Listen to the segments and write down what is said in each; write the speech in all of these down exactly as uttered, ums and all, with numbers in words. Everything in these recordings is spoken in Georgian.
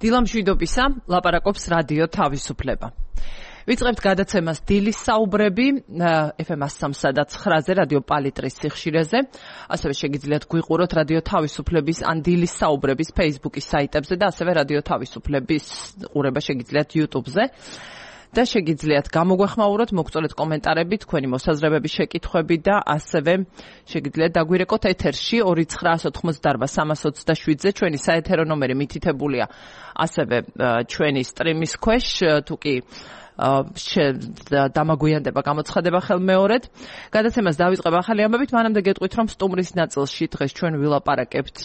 დილამშვიდობისა, ლაპარაკობს რადიო თავისუფლება. ვიწყებთ გადაცემას დილის საუბრები ეფ ემ one oh three და nine-ზე რადიო პალიტრის სიხშირეზე. ასევე შეგიძლიათ გვიყუროთ რადიო თავისუფლების ან დილის საუბრების Facebook-ის საიტებზე და ასევე რადიო თავისუფლების ყურება შეგიძლიათ YouTube-ზე. და შეგიძლიათ გამოგვეხმაუროთ, მოგწოლეთ კომენტარები, თქვენი მოსაზრებები, შეკითხვები და ასევე შეგიძლიათ დაგვირეკოთ ეთერში two nine eight eight three three seven ზე ჩვენი საეთერო ნომერი მითითებულია ასევე ჩვენი სტრიმის ქვეშ, თუ კი დამაგვიანდება გამოცხადება ხელმეორედ. გადაცემას დავიწყებ ახალი ამბებით, მანამდე გეტყვით, რომ სტუმრის ნაწილში დღეს ჩვენ ვილაპარაკებთ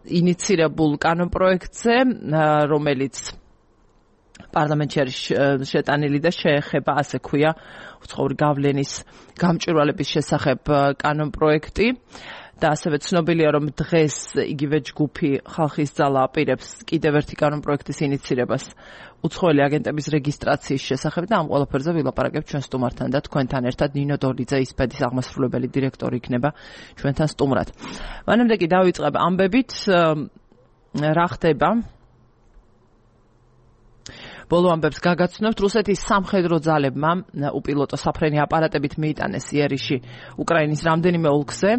ინიცირებულ კანონპროექტზე, რომელიც პარლამენტში არის შეტანილი და შეეხება, ასე ქვია, უცხოური გავლენის გამჭვირვალების შესახებ კანონპროექტი. და ასევე ცნობილია, რომ დღეს იგივე ჯგუფი ხალხის ძალა აპირებს კიდევ ერთი კანონპროექტის ინიცირებას უცხოელი აგენტების რეგისტრაციის შესახებ და ამ ყველაფერზე ვილაპარაკებთ ჩვენ სტუმართან და თქვენთან ერთად. ნინო დოლიძე, ისპედის აღმასრულებელი დირექტორი იქნება ჩვენთან სტუმრად. მანამდე კი დავიწყებ ამბებით, რა ხდება. ბოლო ამბებს გაგაცნობთ. რუსეთის სამხედრო ძალებმა უპილოტო საფრენი აპარატებით მიიტანეს იერიში უკრაინის რამდენიმე ოლქზე.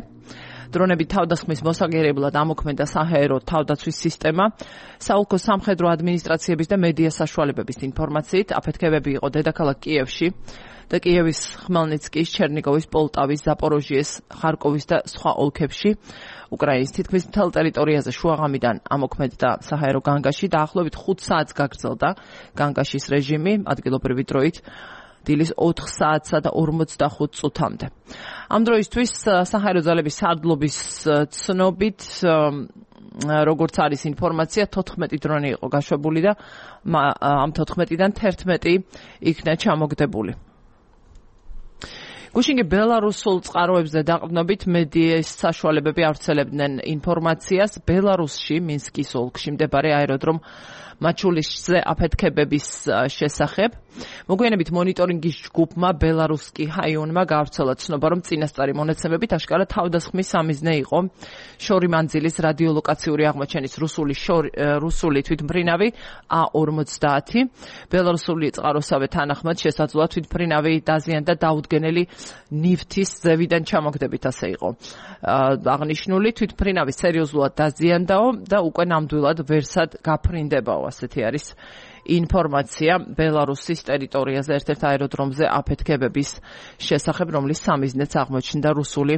დრონები თავდასხმის მოსაგერებლად ამოქმედა საჰაერო თავდაცვის სისტემა. საოლქო სამხედრო ადმინისტრაციების და მედია საშუალებების ინფორმაციით აფეთქებები იყო დედაქალაქ კიევში და კიევის, ხმელნიცკის, ჩერნიგოვის, პოლტავის, ზაპოროჟიეს, ხარკოვის და სხვა ოლქებში. უკრაინის თითქმის მთელ ტერიტორიაზე შუაღამიდან ამოქმედდა საჰაერო განგაში. დაახლოებით ხუთ საათს გაგრძელდა განგაშის რეჟიმი ადგილობრივი დროით დილის ოთხ საათსა და ორმოცდახუთ წუთამდე. ამ დროისთვის საჰაერო ძალების სარდლობის ცნობით, როგორც არის ინფორმაცია, თოთხმეტი დრონი იყო გაშვებული და ამ თოთხმეტიდან თერთმეტი იქნა ჩამოგდებული. გუშინი ბელარუსულ წყაროებზე დაყრდნობით მედიის საშუალებები ავრცელებდნენ ინფორმაციას ბელარუსში, მინსკის ოლქში მდებარე აეროდრომ მაჩულიშზე აფეთქებების შესახებ. მოგვიანებით მონიტორინგის ჯგუფმა ბელარუსკი ჰაიუნმა გაავრცელა ცნობა, რომ წინასწარი მონაცემებით აშკარა თავდასხმის სამიზნე იყო შორი მანძილის რადიოლოკაციური აღმოჩენის რუსული რუსული თვითმფრინავი A forty. ბელარუსული წყაროსავე თანახმად შესაძლოა თვითმფრინავი დაზიანდა დაუდგენელი ნივთის ზევიდან ჩამოგდებით, ასე იყო აღნიშნული. თვითმფრინავი სერიოზულად დაზიანდაო და უკვე ნამდვილად ვერსად გაფრინდებაო, ასეთი არის ინფორმაცია ბელარუსის ტერიტორიაზე ერთ-ერთ აეროდრომზე აფეთქებების შესახებ, რომლის სამიზნეც აღმოჩნდა რუსული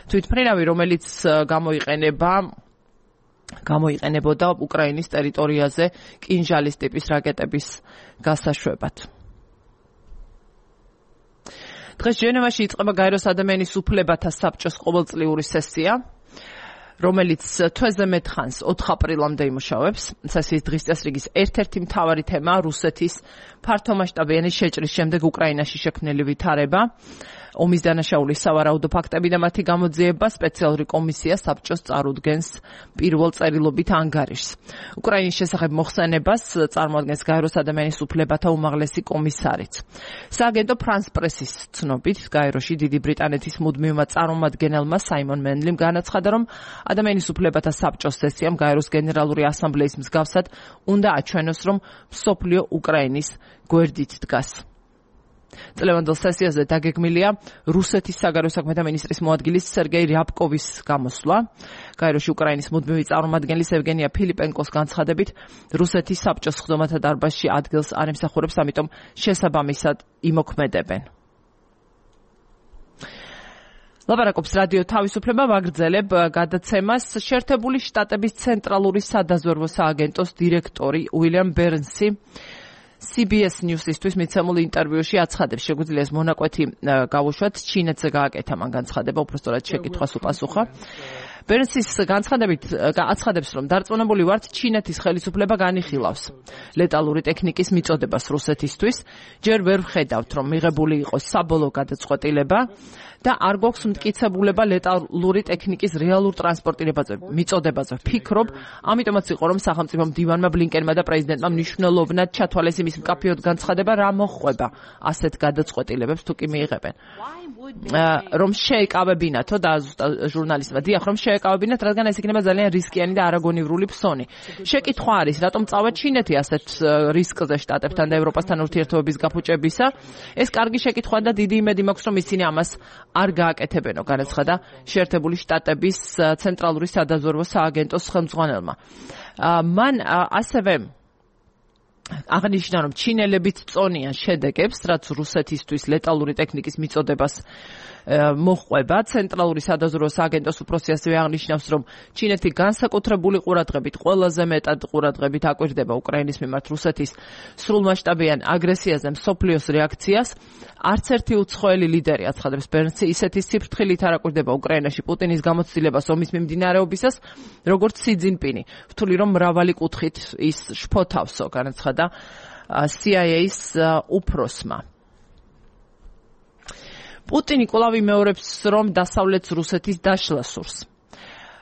თვითმფრინავი, რომელიც გამოიყენება გამოიყენებოდა უკრაინის ტერიტორიაზე კინჟალის ტიპის რაკეტების გასაშვებად. დღეს ჟენევაში იწყება გაეროს ადამიანის უფლებათა საბჭოს ყოველწლიური სესია, რომელიც თვეზე მეტ ხანს ოთხ აპრილამდე იმუშავებს. სესიის დღის წესრიგის ერთ-ერთი მთავარი თემაა რუსეთის ფართომასშტაბიანი შეჭრის შემდეგ უკრაინაში შექმნილი ვითარება, ომის დანაშაულის სავარაუდო ფაქტები და მათი გამოძიება. სპეციალური კომისია საბჭოს წარუდგენს პირველ წერილობით ანგარიშს. უკრაინის შესახებ მოხსენებას წარმოადგენს გაეროს ადამიანის უფლებათა უმაღლესი კომისარიც. სააგენტო ფრანს პრესის ცნობით, გაეროში დიდი ბრიტანეთის მუდმივმა წარმომადგენელმა საიმონ მენლიმ განაცხადა, რომ ადამიანის უფლებათა საბჭოს სესიამ გაეროს გენერალური ასამბლეის მსგავსად უნდა აჩვენოს, რომ მსოფლიო უკრაინის გვერდით დგას. წლევანდელ სესიაზე დაგეგმილია რუსეთის საგარეო საქმეთა მინისტრის მოადგილის სერგეი რიაბკოვის გამოსვლა. გაეროში უკრაინის მუდმივი წარმომადგენლის ევგენია ფილიპენკოს განცხადებით, რუსეთის საბჭოს ხდომათა დარბაზში ადგილს არ ემსახურებს, ამიტომ შესაბამისად იმოქმედებენ. ლაპარაკობს რადიო თავისუფლება, ვაგრძელებ გადაცემას. შეერთებული შტატების ცენტრალური სადაზვერვო სააგენტოს დირექტორი უილიამ ბერნსი C B S News-ისთვის მიცემულ ინტერვიუში აცხადებს, შეგვიძლია ეს მონაკვეთი გავუშვათ, ჩინეთზე გააკეთა მან განცხადება, უბრალოდ შეკითხვას უპასუხა. ბერნსის განცხადებით აცხადებს, რომ დარწმუნებული ვართ, ჩინეთის ხელისუფლება განიხილავს ლეტალური ტექნიკის მიწოდებას რუსეთისთვის. ჯერ ვერ ვხედავთ, რომ მიღებული იყოს საბოლოო გადაწყვეტილება და არ გვაქვს მტკიცებულება ლეტალური ტექნიკის რეალურ ტრანსპორტირებაზე, მიწოდებაზე. ვფიქრობ, ამიტომაც იყო, რომ სახელმწიფო მდივანმა ბლინკენმა და პრეზიდენტმა მნიშვნელოვნად ჩათვალეს იმის მკაფიოდ განცხადება, რა მოხდება ასეთ გადაწყვეტილებებს თუ კი მიიღებენ. რომ შეეკავებინათო და ჟურნალისტმა დიახ, რომ დაეკავებინათ, რადგან ეს იქნება ძალიან რისკიანი და არაგონივრული ფსონი. შეკითხვა არის, რატომ წავა ჩინეთი ასეთ რისკზე შტატებთან და ევროპასთან ურთიერთობების გაფუჭებისა? ეს კარგი შეკითხვა და დიდი იმედი მაქვს, რომ ისინი ამას არ გააკეთებენო, განაცხადა შეერთებული შტატების ცენტრალური სადაზვერვო სააგენტოს ხელმძღვანელმა. მან ასევე აღნიშნა, რომ ჩინელებიც წონიან შედეგებს, რაც რუსეთისთვის ლეტალური ტექნიკის მიწოდებას მოჰყვება. ცენტრალური სადაზვერვო სააგენტოს უფროსი ასევე აღნიშნავს, რომ ჩინეთი განსაკუთრებული ყურადღებით, ყველაზე მეტად ყურადღებით აკვირდება უკრაინის მიმართ რუსეთის სრულმასშტაბიან აგრესიაზე მსოფლიოს რეაქციას. არც ერთი უცხოელი ლიდერი, აცხადებს ბერნსი, ისეთი სიფრთხილით არ აკვირდება უკრაინაში პუტინის გამოცდილებას ომის მიმდინარეობისას, როგორც სი ძინპინი. ვთვლი, რომ მრავალი კუთხით ის შფოთავსო, განაცხადა სი აი ეის უფროსმა. პუტინი კვლავ იმეორებს, რომ დასავლეთს რუსეთის დაშლა სურს.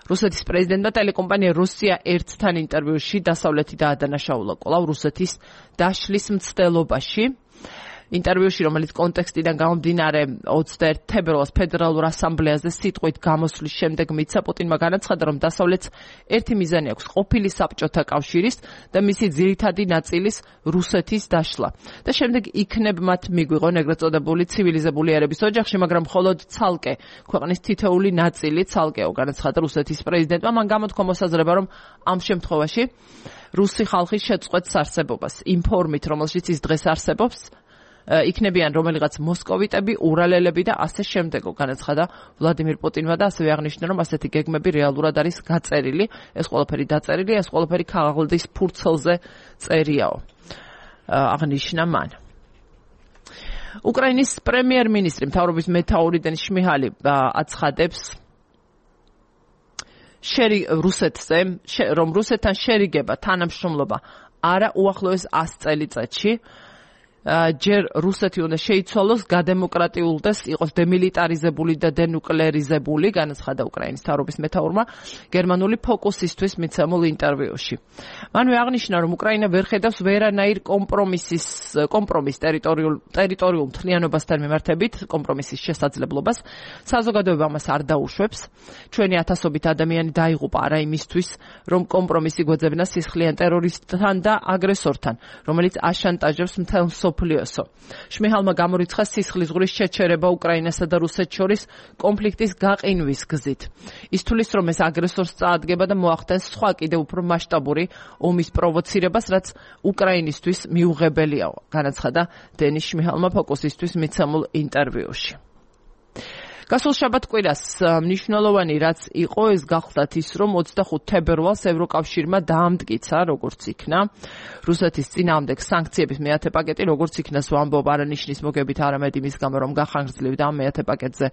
რუსეთის პრეზიდენტმა ტელეკომპანია რუსია ერთთან ინტერვიუში დასავლეთი დაადანაშაულა კვლავ რუსეთის დაშლის მცდელობაში. ინტერვიუში, რომელიც კონტექსტიდან გამომდინარე ოცდაერთი თებერვალს ფედერალურ ასამბლეაზე სიტყვით გამოსვლის შემდეგ მიცა, პუტინმა განაცხადა, რომ დასავლეთს ერთი მიზანი აქვს ყოფილი საბჭოთა კავშირის და მისი ძირითადი ნაწილის რუსეთის დაშლა. და შემდეგ იქნებ მათ მიგვიღონ ეგრეთ წოდებული ცივილიზებული ერების ოჯახში, მაგრამ მხოლოდ ცალკე ქვეყნის თითოეული ნაწილი ცალკეო, განაცხადა რუსეთის პრეზიდენტმა. მან გამოთქვა მოსაზრება, რომ ამ შემთხვევაში რუსი ხალხი შეწყვეტს არსებობას. იმ ფორმით, რომელშიც ის დღეს არსებობს, იქნებიან რომელიღაც მოსკოვიტები, ურალელები და ასე შემდეგო, განაცხადა ვლადიმირ პუტინმა და ასევე აღნიშნა, რომ ასეთი გეგმები რეალურად არის გაწერილი, ეს ყველაფერი დაწერილი, ეს ყველაფერი ქაღალდის ფურცელზე წერიაო. აღნიშნა მან. უკრაინის პრემიერ-მინისტრი მთავრობის მეთაური დენის შმიჰალი აცხადებს შერი რუსეთზე, რომ რუსეთთან შერიგება, თანამშრომლობა არა უახლოეს ას წელიწადში. ჯერ რუსეთი უნდა შეიცვალოს, გადემოკრატიულდეს, იყოს დემილიტარიზებული და დენუკლეარიზებული, განაცხადა უკრაინის მთავრობის მეთაურმა გერმანული ფოკუსისთვის მიცემულ ინტერვიუში. მანვე აღნიშნა, რომ უკრაინა ვერ ხედავს ვერანაირ კომპრომისის კომპრომის ტერიტორიულ ტერიტორიულ მთლიანობასთან მიმართებით, კომპრომისის შესაძლებლობას. საზოგადოება ამას არ დაუშვებს. ჩვენი ათასობით ადამიანი დაიღუპა არა იმისთვის, რომ კომპრომისი გვეძებნა სისხლიან ტერორისტთან და აგრესორთან, რომელიც აშანტაჟებს მთელ სოფლიოსო. შმიჰალმა გამორიცხა სისხლისღვრის შეჩერება უკრაინასა და რუსეთს შორის კონფლიქტის გაყინვის გზით. ის თulis, რომ ეს აგრესორს წაადგება და მოახდენს სხვა კიდევ უფრო მასშტაბური ომის პროვოცირებას, რაც უკრაინისთვის მიუღებელიაო, განაცხადა დენის შმიჰალმა ფოკუსისთვის მიცემულ ინტერვიუში. გასულ შაბათ-კვირას მნიშვნელოვანი რაც იყო, ეს გახლდათ ის, რომ ოცდახუთ თებერვალს ევროკავშირმა დაამტკიცა, როგორც იქნა რუსეთის წინააღმდეგ სანქციების მეათე პაკეტი, როგორც იქნას ვამბობ არანიშნის მოგებით, არამედ იმის გამო, რომ გახანგრძლივდა ამ მეათე პაკეტზე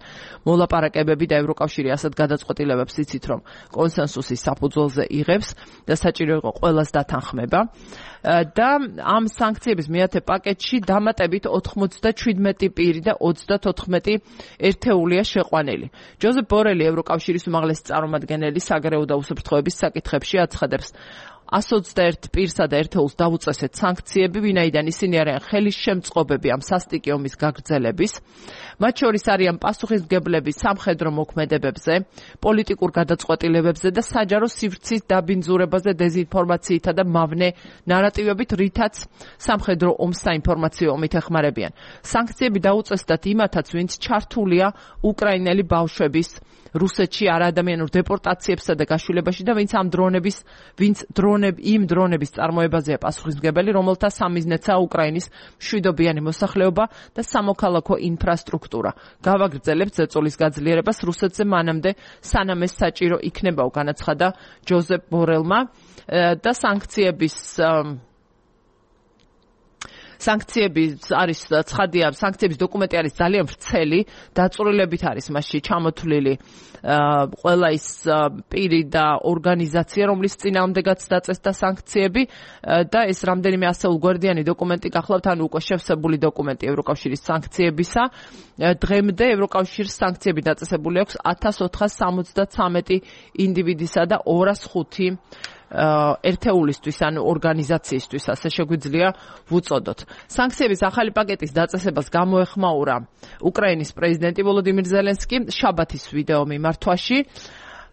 მოლაპარაკებები და ევროკავშირი ასეთ გადაწყვეტილებებს იცით, რომ კონსენსუსის საფუძველზე იღებს და საჭირო იყო ყველას დათანხმება. და ამ სანქციების მეათე პაკეტში დამატებით ოთხმოცდაჩვიდმეტი პირი და ოცდათოთხმეტი ერთეულია შეყვანილი. ჯოზეფ ბორელი, ევროკავშირის უმაღლესი წარმომადგენელი საგარეო და უსაფრთხოების საკითხებში აცხადებს, ას ოცდაერთ პირსა და ერთეულს დაუწესეთ სანქციები, ვინაიდან ისინი არიან ხელისშემწყობები ამ სასტიკი ომის გაგრძელების. მათ შორის არიან პასუხისმგებლები სამხედრო მოქმედებებზე, პოლიტიკურ გადაწყვეტილებებზე და საჯარო სივრცის დაბინძურებაზე დეზინფორმაციითა და მავნე ნარატივებით, რითაც სამხედრო ომს საინფორმაციო ომით ეხმარებიან. სანქციები დაუწესდათ იმათაც, ვინც ჩართულია უკრაინელი ბავშვების რუსეთში არაადამიანურ დეპორტაციებსა და გაშულებაში და ვინც ამ დრონების, ვინც დრონებ იმ დრონების წარმოებაზეა პასუხისმგებელი, რომელთა სამიზნეცაა უკრაინის მშვიდობიანი მოსახლეობა და სამოქალაქო ინფრასტრუქტურა. გავაგრძელებთ ზეწოლის გაძლიერებას რუსეთზე მანამდე, სანამ ეს საჭირო იქნებაო, განაცხადა ჯოზეფ ბორელმა და სანქციების სანქციები არის ცხადია, სანქციების დოკუმენტი არის ძალიან ვრცელი, დაწვრილებით არის მასში ჩამოთვლილი ყველა ის პირი და ორგანიზაცია, რომლის წინააღმდეგაც დაწესდა სანქციები და ეს რამდენიმე ასეულგვერდიანი დოკუმენტი გახლავთ, ანუ უკვე შევსებული დოკუმენტი ევროკავშირის სანქციებისა. დღემდე ევროკავშირის სანქციები დაწესებული აქვს ათას ოთხას სამოცდათრამეტი ინდივიდისა და ორას ხუთი ერთეულისთვის, ანუ ორგანიზაციისთვის, ასე შეგვიძლია ვუწოდოთ. სანქციების ახალი პაკეტის დაწესებას გამოეხმაურა უკრაინის პრეზიდენტი ვოლოდიმირ ზელენსკი შაბათის ვიდეო მიმართვაში.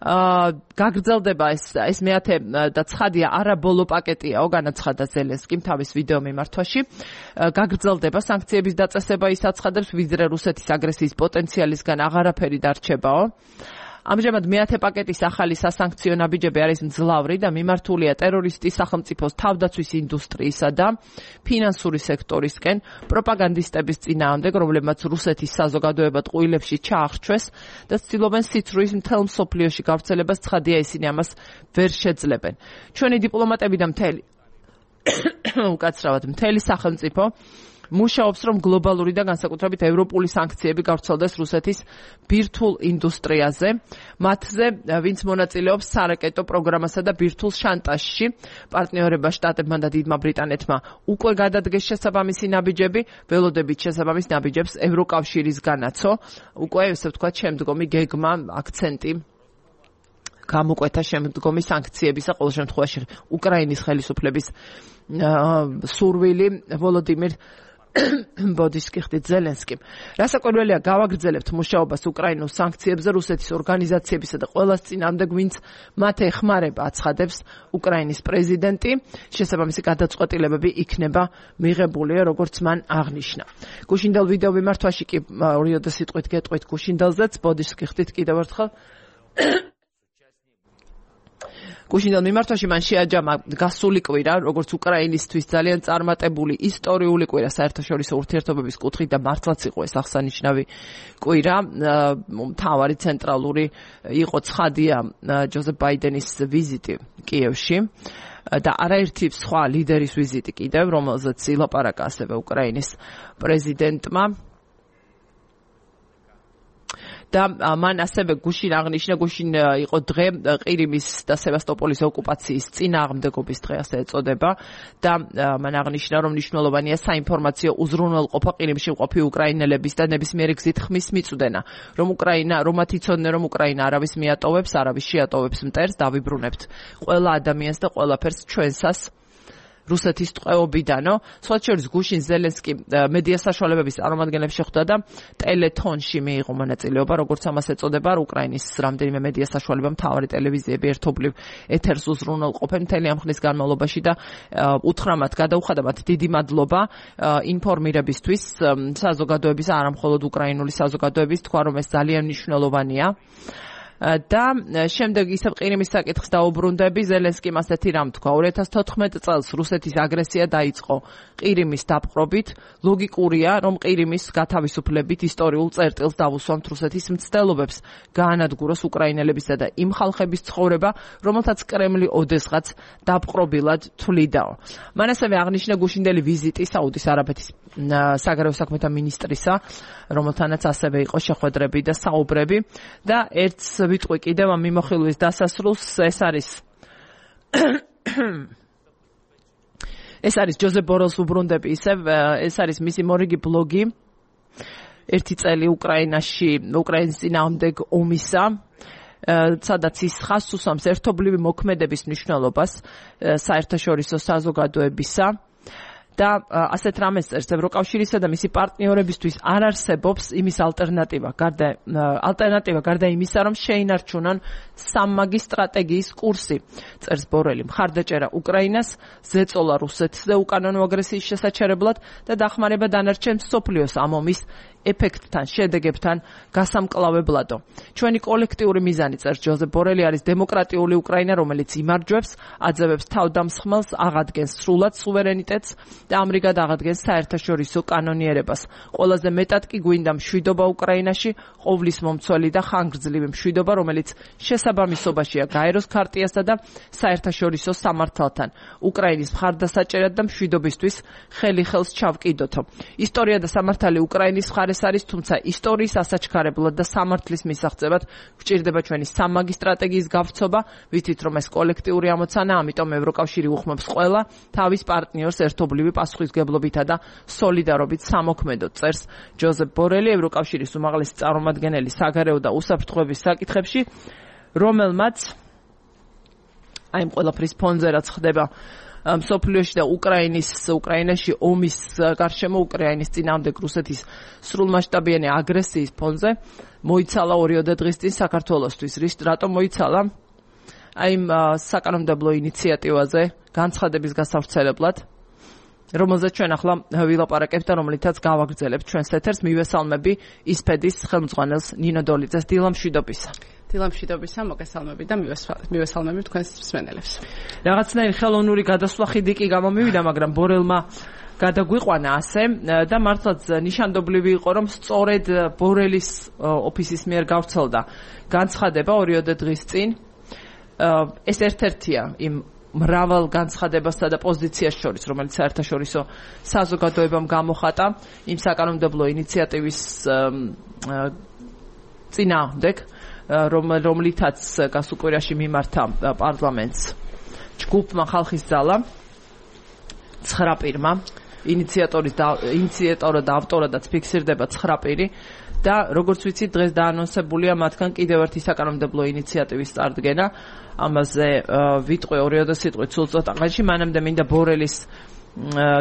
გაგრძელდება ეს ეს მეათე და ცხადია არა ბოლო პაკეტიაო, განაცხადა ზელენსკიმ თავის ვიდეო მიმართვაში. გაგრძელდება სანქციების დაწესება, ის აცხადებს, ვიდრე რუსეთის აგრესიის პოტენციალისგან აღარაფერი დარჩებაო. ამჟამად მეათე პაკეტის ახალი სასანქციო ნაბიჯები არის მძლავრი და მიმართულია ტერორისტის სახელმწიფოს თავდაცვის ინდუსტრიისა და ფინანსური სექტორისკენ პროპაგანდისტების წინააღმდეგ, რომლებმაც რუსეთის საზოგადოებად ყუილებში ჩაახშვეს და ცდილობენ სიცრუის მთელ მსოფლიოში გავრცელებას, ცხადია ისინი ამას ვერ შეძლებენ. ჩვენი დიპლომატები და მთელი უკაცრავად მთელი სახელმწიფო მუშაობს, რომ გლობალური და განსაკუთრებით ევროპული სანქციები გავრცელდეს რუსეთის ბირთვულ ინდუსტრიაზე, მათზე, ვინც მონაწილეობს სარაკეტო პროგრამასა და ბირთვულ შანტაჟში. პარტნიორება შტატებმა და დიდმა ბრიტანეთმა უკვე გადადგეს შესაბამისი ნაბიჯები, ველოდებით შესაბამის ნაბიჯებს ევროკავშირისგანაცო. უკვე, ესე ვთქვათ, შემდგომი გეგმა, აქცენტი გამოკვეთა შემდგომი სანქციებისა, ყოველ შემთხვევაში უკრაინის ხელისუფლების სურვილი ვოლოდიმირ ბოდის კიხდით ზელენსკიმ. რასაკვირველია, გავაგრძელებთ მუშაობას უკრაინულ სანქციებზე რუსეთის ორგანიზაციებისა და ყველას წინააღმდეგ, ვინც მათ ეხმარება, აცხადებს უკრაინის პრეზიდენტი. შესაბამისი გადაწყვეტილებები იქნება მიღებული, როგორც მან აღნიშნა. გუშინდელ ვიდეო მიმართვაში კი ორიოდე სიტყვით გეტყვით გუშინდელზეც, ბოდის კიხდით კიდევ ერთხელ გუშინდელ მიმართვაში მან შეაჯამა გასული კვირა, როგორც უკრაინისთვის ძალიან წარმატებული ისტორიული კვირა საერთაშორისო ურთიერთობების კუთხით და მართლაც იყო ეს აღსანიშნავი კვირა. მთავარი ცენტრალური იყო ცხადია ჯოზეფ ბაიდენის ვიზიტი კიევში და არაერთი სხვა ლიდერის ვიზიტი კიდევ, რომელზეც ილაპარაკა ასევე უკრაინის პრეზიდენტმა. და მან ასევე გუშინ აღნიშნა, გუშინ იყო დღე ყირიმის და სევასტოპოლის ოკუპაციის წინააღმდეგობის დღე, ასე ეწოდება და მან აღნიშნა, რომ მნიშვნელოვანია საინფორმაციო უზრუნველყოფა ყირიმში მყოფი უკრაინელების და ნებისმიერი გზით ხმის მიწვდენა, რომ უკრაინა, რომ მათ იცოდნენ, რომ უკრაინა არავის მიატოვებს, არავის შეატოვებს მტერს, დავიბრუნებთ ყველა ადამიანს და ყველაფერს ჩვენსას რუსეთის ტყვეობიდანო. სხვა შორის გუშინ ზელენსკი მედია საშუალებების წარმომადგენლებს შეხვდა და ტელეთონში მიიღო მონაწილეობა, როგორც ამას ეწოდება, უკრაინის რამდენიმე მედია საშუალება, მთავარი ტელევიზიები ერთობლივ ეთერს უზრუნველყოფენ მთელი ამ ხნის განმავლობაში და უთხრა მათ, გადაუხადა მათ დიდი მადლობა ინფორმირებისთვის საზოგადოების, არა მხოლოდ უკრაინული საზოგადოების, თქვა, რომ ეს ძალიან მნიშვნელოვანია. და შემდეგ ისევ ყირიმის საკითხს დაუბრუნდები, ზელენსკიმ ასეთი რამ თქვა. ორი ათას თოთხმეტი წელს რუსეთის აგრესია დაიწყო ყირიმის დაპყრობით. ლოგიკურია, რომ ყირიმის გათავისუფლებით ისტორიულ წერტილს დავუსვამთ რუსეთის მცდელობებს, გაანადგუროს უკრაინელებისა და იმ ხალხების ცხოვრება, რომელთაც კრემლი ოდესღაც დაპყრობილად თვლიდაო. მან ასევე აღნიშნა გუშინდელი ვიზიტი საუდის არაბეთის საგარეო საქმეთა მინისტრისა, რომელთანაც ასევე იყო შეხვედრები და საუბრები და ერთს ვიტყვი კიდევ ამ მიმოხილვის დასასრულს, ეს არის ეს არის ჯოზეფ ბორელს უბრუნდები, ისევ ეს არის მისი მორიგი ბლოგი ერთი წელი უკრაინაში, უკრაინის წინააღმდეგ ომისა, სადაც ის ხაზს უსვამს ერთობლივი მოქმედების მნიშვნელობას საერთაშორისო საზოგადოებისა. და ასეთ რამეს წერს, ევროკავშირისა და მისი პარტნიორებისთვის არ არსებობს იმის ალტერნატივა, გარდა ალტერნატივა გარდა იმისა, რომ შეინარჩუნონ სამმაგი სტრატეგიის კურსი, წერს ბორელი. მხარდაჭერა უკრაინას, ზეწოლა რუსეთზე უკანონო აგრესიის შესაჩერებლად და დახმარება დანარჩენ მსოფლიოს ამ ომის ეფექტთან, შედეგებთან გასამკლავებლადო. ჩვენი კოლექტიური მიზანი, წერს ჯოზეფ ბორელი, არის დემოკრატიული უკრაინა, რომელიც იმარჯვებს, აძევებს თავდამსხმელს, აღადგენს სრულად სუვერენიტეტს და ამრიგად აღადგენს საერთაშორისო კანონიერებას. ყველაზე მეტად კი გვინდა მშვიდობა უკრაინაში, ყოვლის მომცველი და ხანგრძლივი მშვიდობა, რომელიც შესაბამისობაშია გაეროს ქარტიასა და საერთაშორისო სამართალთან. უკრაინის მხარდასაჭერად და მშვიდობისთვის ხელი ხელს ჩავკიდოთო. ისტორია და სამართალი უკრაინის მხარეს არის, თუმცა ისტორიის ასაჩქარებლად და სამართლის მისაღწევად გვჭირდება ჩვენი სამმაგი სტრატეგიის გავრცობა, ვიცით რომ ეს კოლექტიური ამოცანა, ამიტომ ევროკავშირი უხმობს ყველა თავის პარტნიორს ერთობლივი პასუხისგებლობითა და სოლიდარობით სამოქმედოდ, წერს ჯოზეფ ბორელი, ევროკავშირის უმაღლესი წარმომადგენელი საგარეო და უსაფრთხოების საკითხებში, რომელმაც აი ამ ყველაფრის ფონზე რაც ხდება მსოფლიოში და უკრაინის უკრაინაში ომის გარშემო უკრაინის წინააღმდეგ რუსეთის სრულმასშტაბიანი აგრესიის ფონზე მოიცალა ორიოდე დღის წინ საქართველოსთვის. რის რატომ მოიცალა? აი იმ საკანონმდებლო ინიციატივაზე განცხადების გასავრცელებლად, რომელზეც ჩვენ ახლა ვილაპარაკებთ და რომლითაც გავაგრძელებთ ჩვენს ეთერს, მივესალმები ისფედის ხელმძღვანელს ნინო დოლიძეს. დილამშვიდობისა. დილამშვიდობისა, მოგესალმები და მივესალმები თქვენს მსმენელებს. რაღაცნაირი ხელოვნური გადასვლა ხიდი კი გამომივიდა, მაგრამ ბორელმა გადაგვიყვანა ასე და მართლაც ნიშანდობლივი იყო, რომ სწორედ ბორელის ოფისის მიერ გავრცელდა განცხადება ორიოდე დღის წინ. ეს ერთ-ერთია იმ მრავალ განცხადებასა და პოზიციას შორის, რომელიც საერთაშორისო საზოგადოებამ გამოხატა იმ საკანონმდებლო ინიციატივის წინააღმდეგ, რომლითაც გასულ კვირაში მიმართა პარლამენტს ჯგუფმა ხალხის ძალა ცხრა პირმა, ინიციატორის და ინიციატორად და ავტორადაც ფიქსირდება ცხრა პირი და როგორც ვიცით, დღეს დაანონსებულია მათგან კიდევ ერთი საკანონმდებლო ინიციატივის წარდგენა. ამაზე ვიტყვი ორიოდე სიტყვით სულ ცოტა ხანში, მანამდე მინდა ბორელის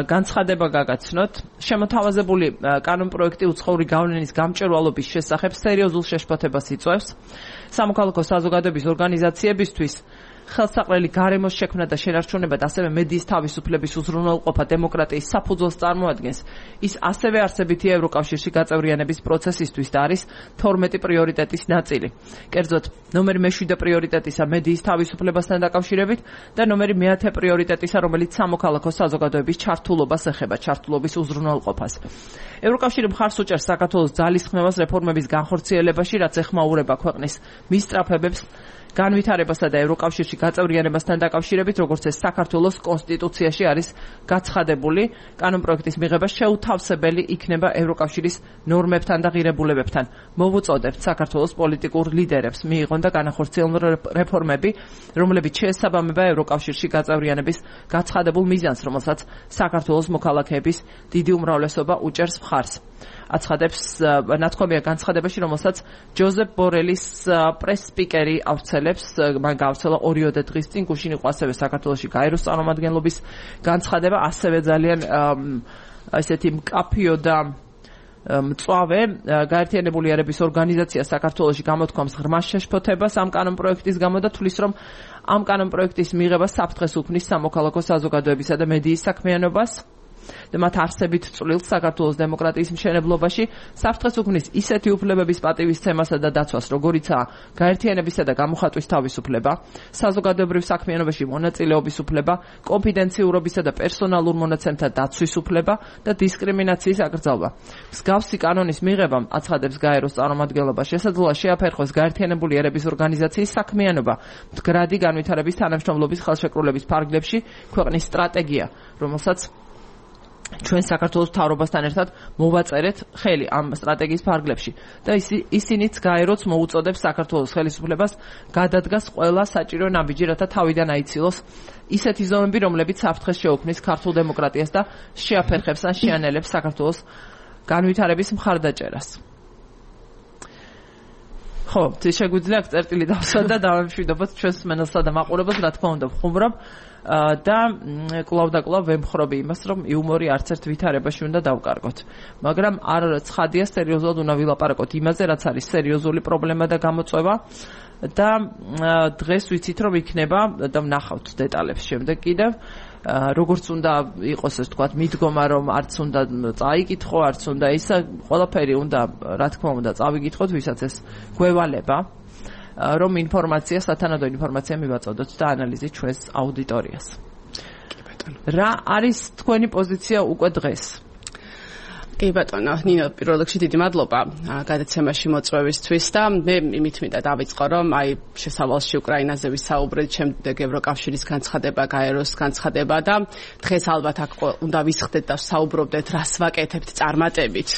განცხადება გაგაცნოთ. შემოთავაზებული კანონპროექტი უცხოური გავლენის გამჭვირვალობის შესახებ სერიოზულ შეშფოთებას იწვევს. სამოქალაქო საზოგადოების ორგანიზაციებისთვის ხელსაყრელი გარემოს შექმნა და შენარჩუნება და ასევე მედიის თავისუფლების უზრუნველყოფა დემოკრატიის საფუძველს წარმოადგენს. ის ასევე არსებითი ევროკავშირში გაწევრიანების პროცესისთვის და არის თორმეტი პრიორიტეტის ნაწილი. კერძოდ, ნომერი მეშვიდე პრიორიტეტისა მედიის თავისუფლებასთან დაკავშირებით და ნომერი მეათე პრიორიტეტისა, რომელიც სამოქალაქო საზოგადოების ჩართულობას ეხება, ჩართულობის უზრუნველყოფას. ევროკავშირი მხარს უჭერს საქართველოს ძალისხმევას რეფორმების განხორციელებაში, რაც ეხმაურება ქვეყნის მისწრაფებებს განვითარებასა და ევროკავშირში გაწევრიანებასთან დაკავშირებით, როგორც ეს საქართველოს კონსტიტუციაში არის გაცხადებული. კანონპროექტის მიღება შეუთავსებელი იქნება ევროკავშირის ნორმებთან და ღირებულებებთან. მოვუწოდებთ საქართველოს პოლიტიკურ ლიდერებს მიიღონ და განახორციელონ რეფორმები, რომლებიც შეესაბამება ევროკავშირში გაწევრიანების გაცხადებულ მიზანს, რომელსაც საქართველოს მოქალაქეების დიდი უმრავლესობა უჭერს მხარს. აცხადებს ნათქვამია განცხადებაში, რომელსაც ჯოზეფ ბორელის პრეს-სპიკერი ავრცელებს. მან გავრცელა ორიოდე დღის წინ, გუშინ იყო ასევე საქართველოში გაეროს წარმომადგენლობის განცხადება, ასევე ძალიან ესეთი მკაფიო და მწვავე. გაერთიანებული ერების ორგანიზაცია საქართველოში გამოთქვამს ღრმა შეშფოთებას ამ კანონპროექტის გამო და თვლის, რომ ამ კანონპროექტის მიღება საფრთხეს უქმნის სამოქალაქო საზოგადოებისა და მედიის საქმიანობას და მათ არსებით წვლილს საქართველოს დემოკრატიის მშენებლობაში, საფრთხეს უქმნის ისეთი უფლებების პატივისცემასა და დაცვას, როგორიცაა გაერთიანებისა და გამოხატვის თავისუფლება, საზოგადოებრივ საქმიანობაში მონაწილეობის უფლება, კონფიდენციურობისა და პერსონალურ მონაცემთა დაცვის უფლება და დისკრიმინაციის აკრძალვა. მსგავსი კანონის მიღებამ, აცხადებს გაეროს წარმომადგენლობა, შესაძლოა შეაფერხოს გაერთიანებული ერების ორგანიზაციის საქმიანობა მდგრადი განვითარების თანამშრომლობის ხელშეკრულების ფარგლებში ქვეყნის სტრატეგია, რომელსაც ჩვენ საქართველოს მთავრობასთან ერთად მოვაწერეთ ხელი ამ სტრატეგიის ფარგლებში და ისინიც გაეროც მოუწოდებს საქართველოს ხელისუფლებას გადადგას ყველა საჭირო ნაბიჯი, რათა თავიდან აიცილოს ისეთი ზომები, რომლებიც საფრთხეს შეუქმნის ქართულ დემოკრატიას და შეაფერხებს ან შეანელებს საქართველოს განვითარების მხარდაჭერას. ხო, შეგვიძლია წერტილი დავსვა და დავამშვიდობოთ ჩვენს მსმენელსა და მაყურებელს, რა თქმა უნდა, ვხუმრობ და კვლავ და კვლავ ვემხრობი იმას, რომ იუმორი არც ერთ ვითარებაში უნდა დავკარგოთ. მაგრამ არ ცხადია, სერიოზულად უნდა ვილაპარაკოთ იმაზე, რაც არის სერიოზული პრობლემა და გამოწვევა და დღეს ვიცით, რომ იქნება და ვნახავთ დეტალებს შემდეგ კიდევ. როგორც უნდა იყოს ეს თქვათ მიდგომა, რომ არც უნდა წაიკითხო, არც უნდა ისა, ყველაფერი უნდა, რა თქმა უნდა, წავიკითხოთ, ვისაც ეს გვევალება, რომ ინფორმაცია, სათანადო ინფორმაცია მივაწოდოთ და ანალიზი ჩვენს აუდიტორიას. რა არის თქვენი პოზიცია უკვე დღეს? კი ბატონო, ნინო, პირველ რიგში დიდი მადლობა გადაცემაში მოწვევისთვის და მე იმით მინდა დავიწყო, რომ აი შესავალში უკრაინაზე ვისაუბრეთ, შემდეგ ევროკავშირის განცხადება, გაეროს განცხადება და დღეს ალბათ აქ უნდა ვისხდეთ და საუბრობდეთ, რას ვაკეთებთ წარმატებით.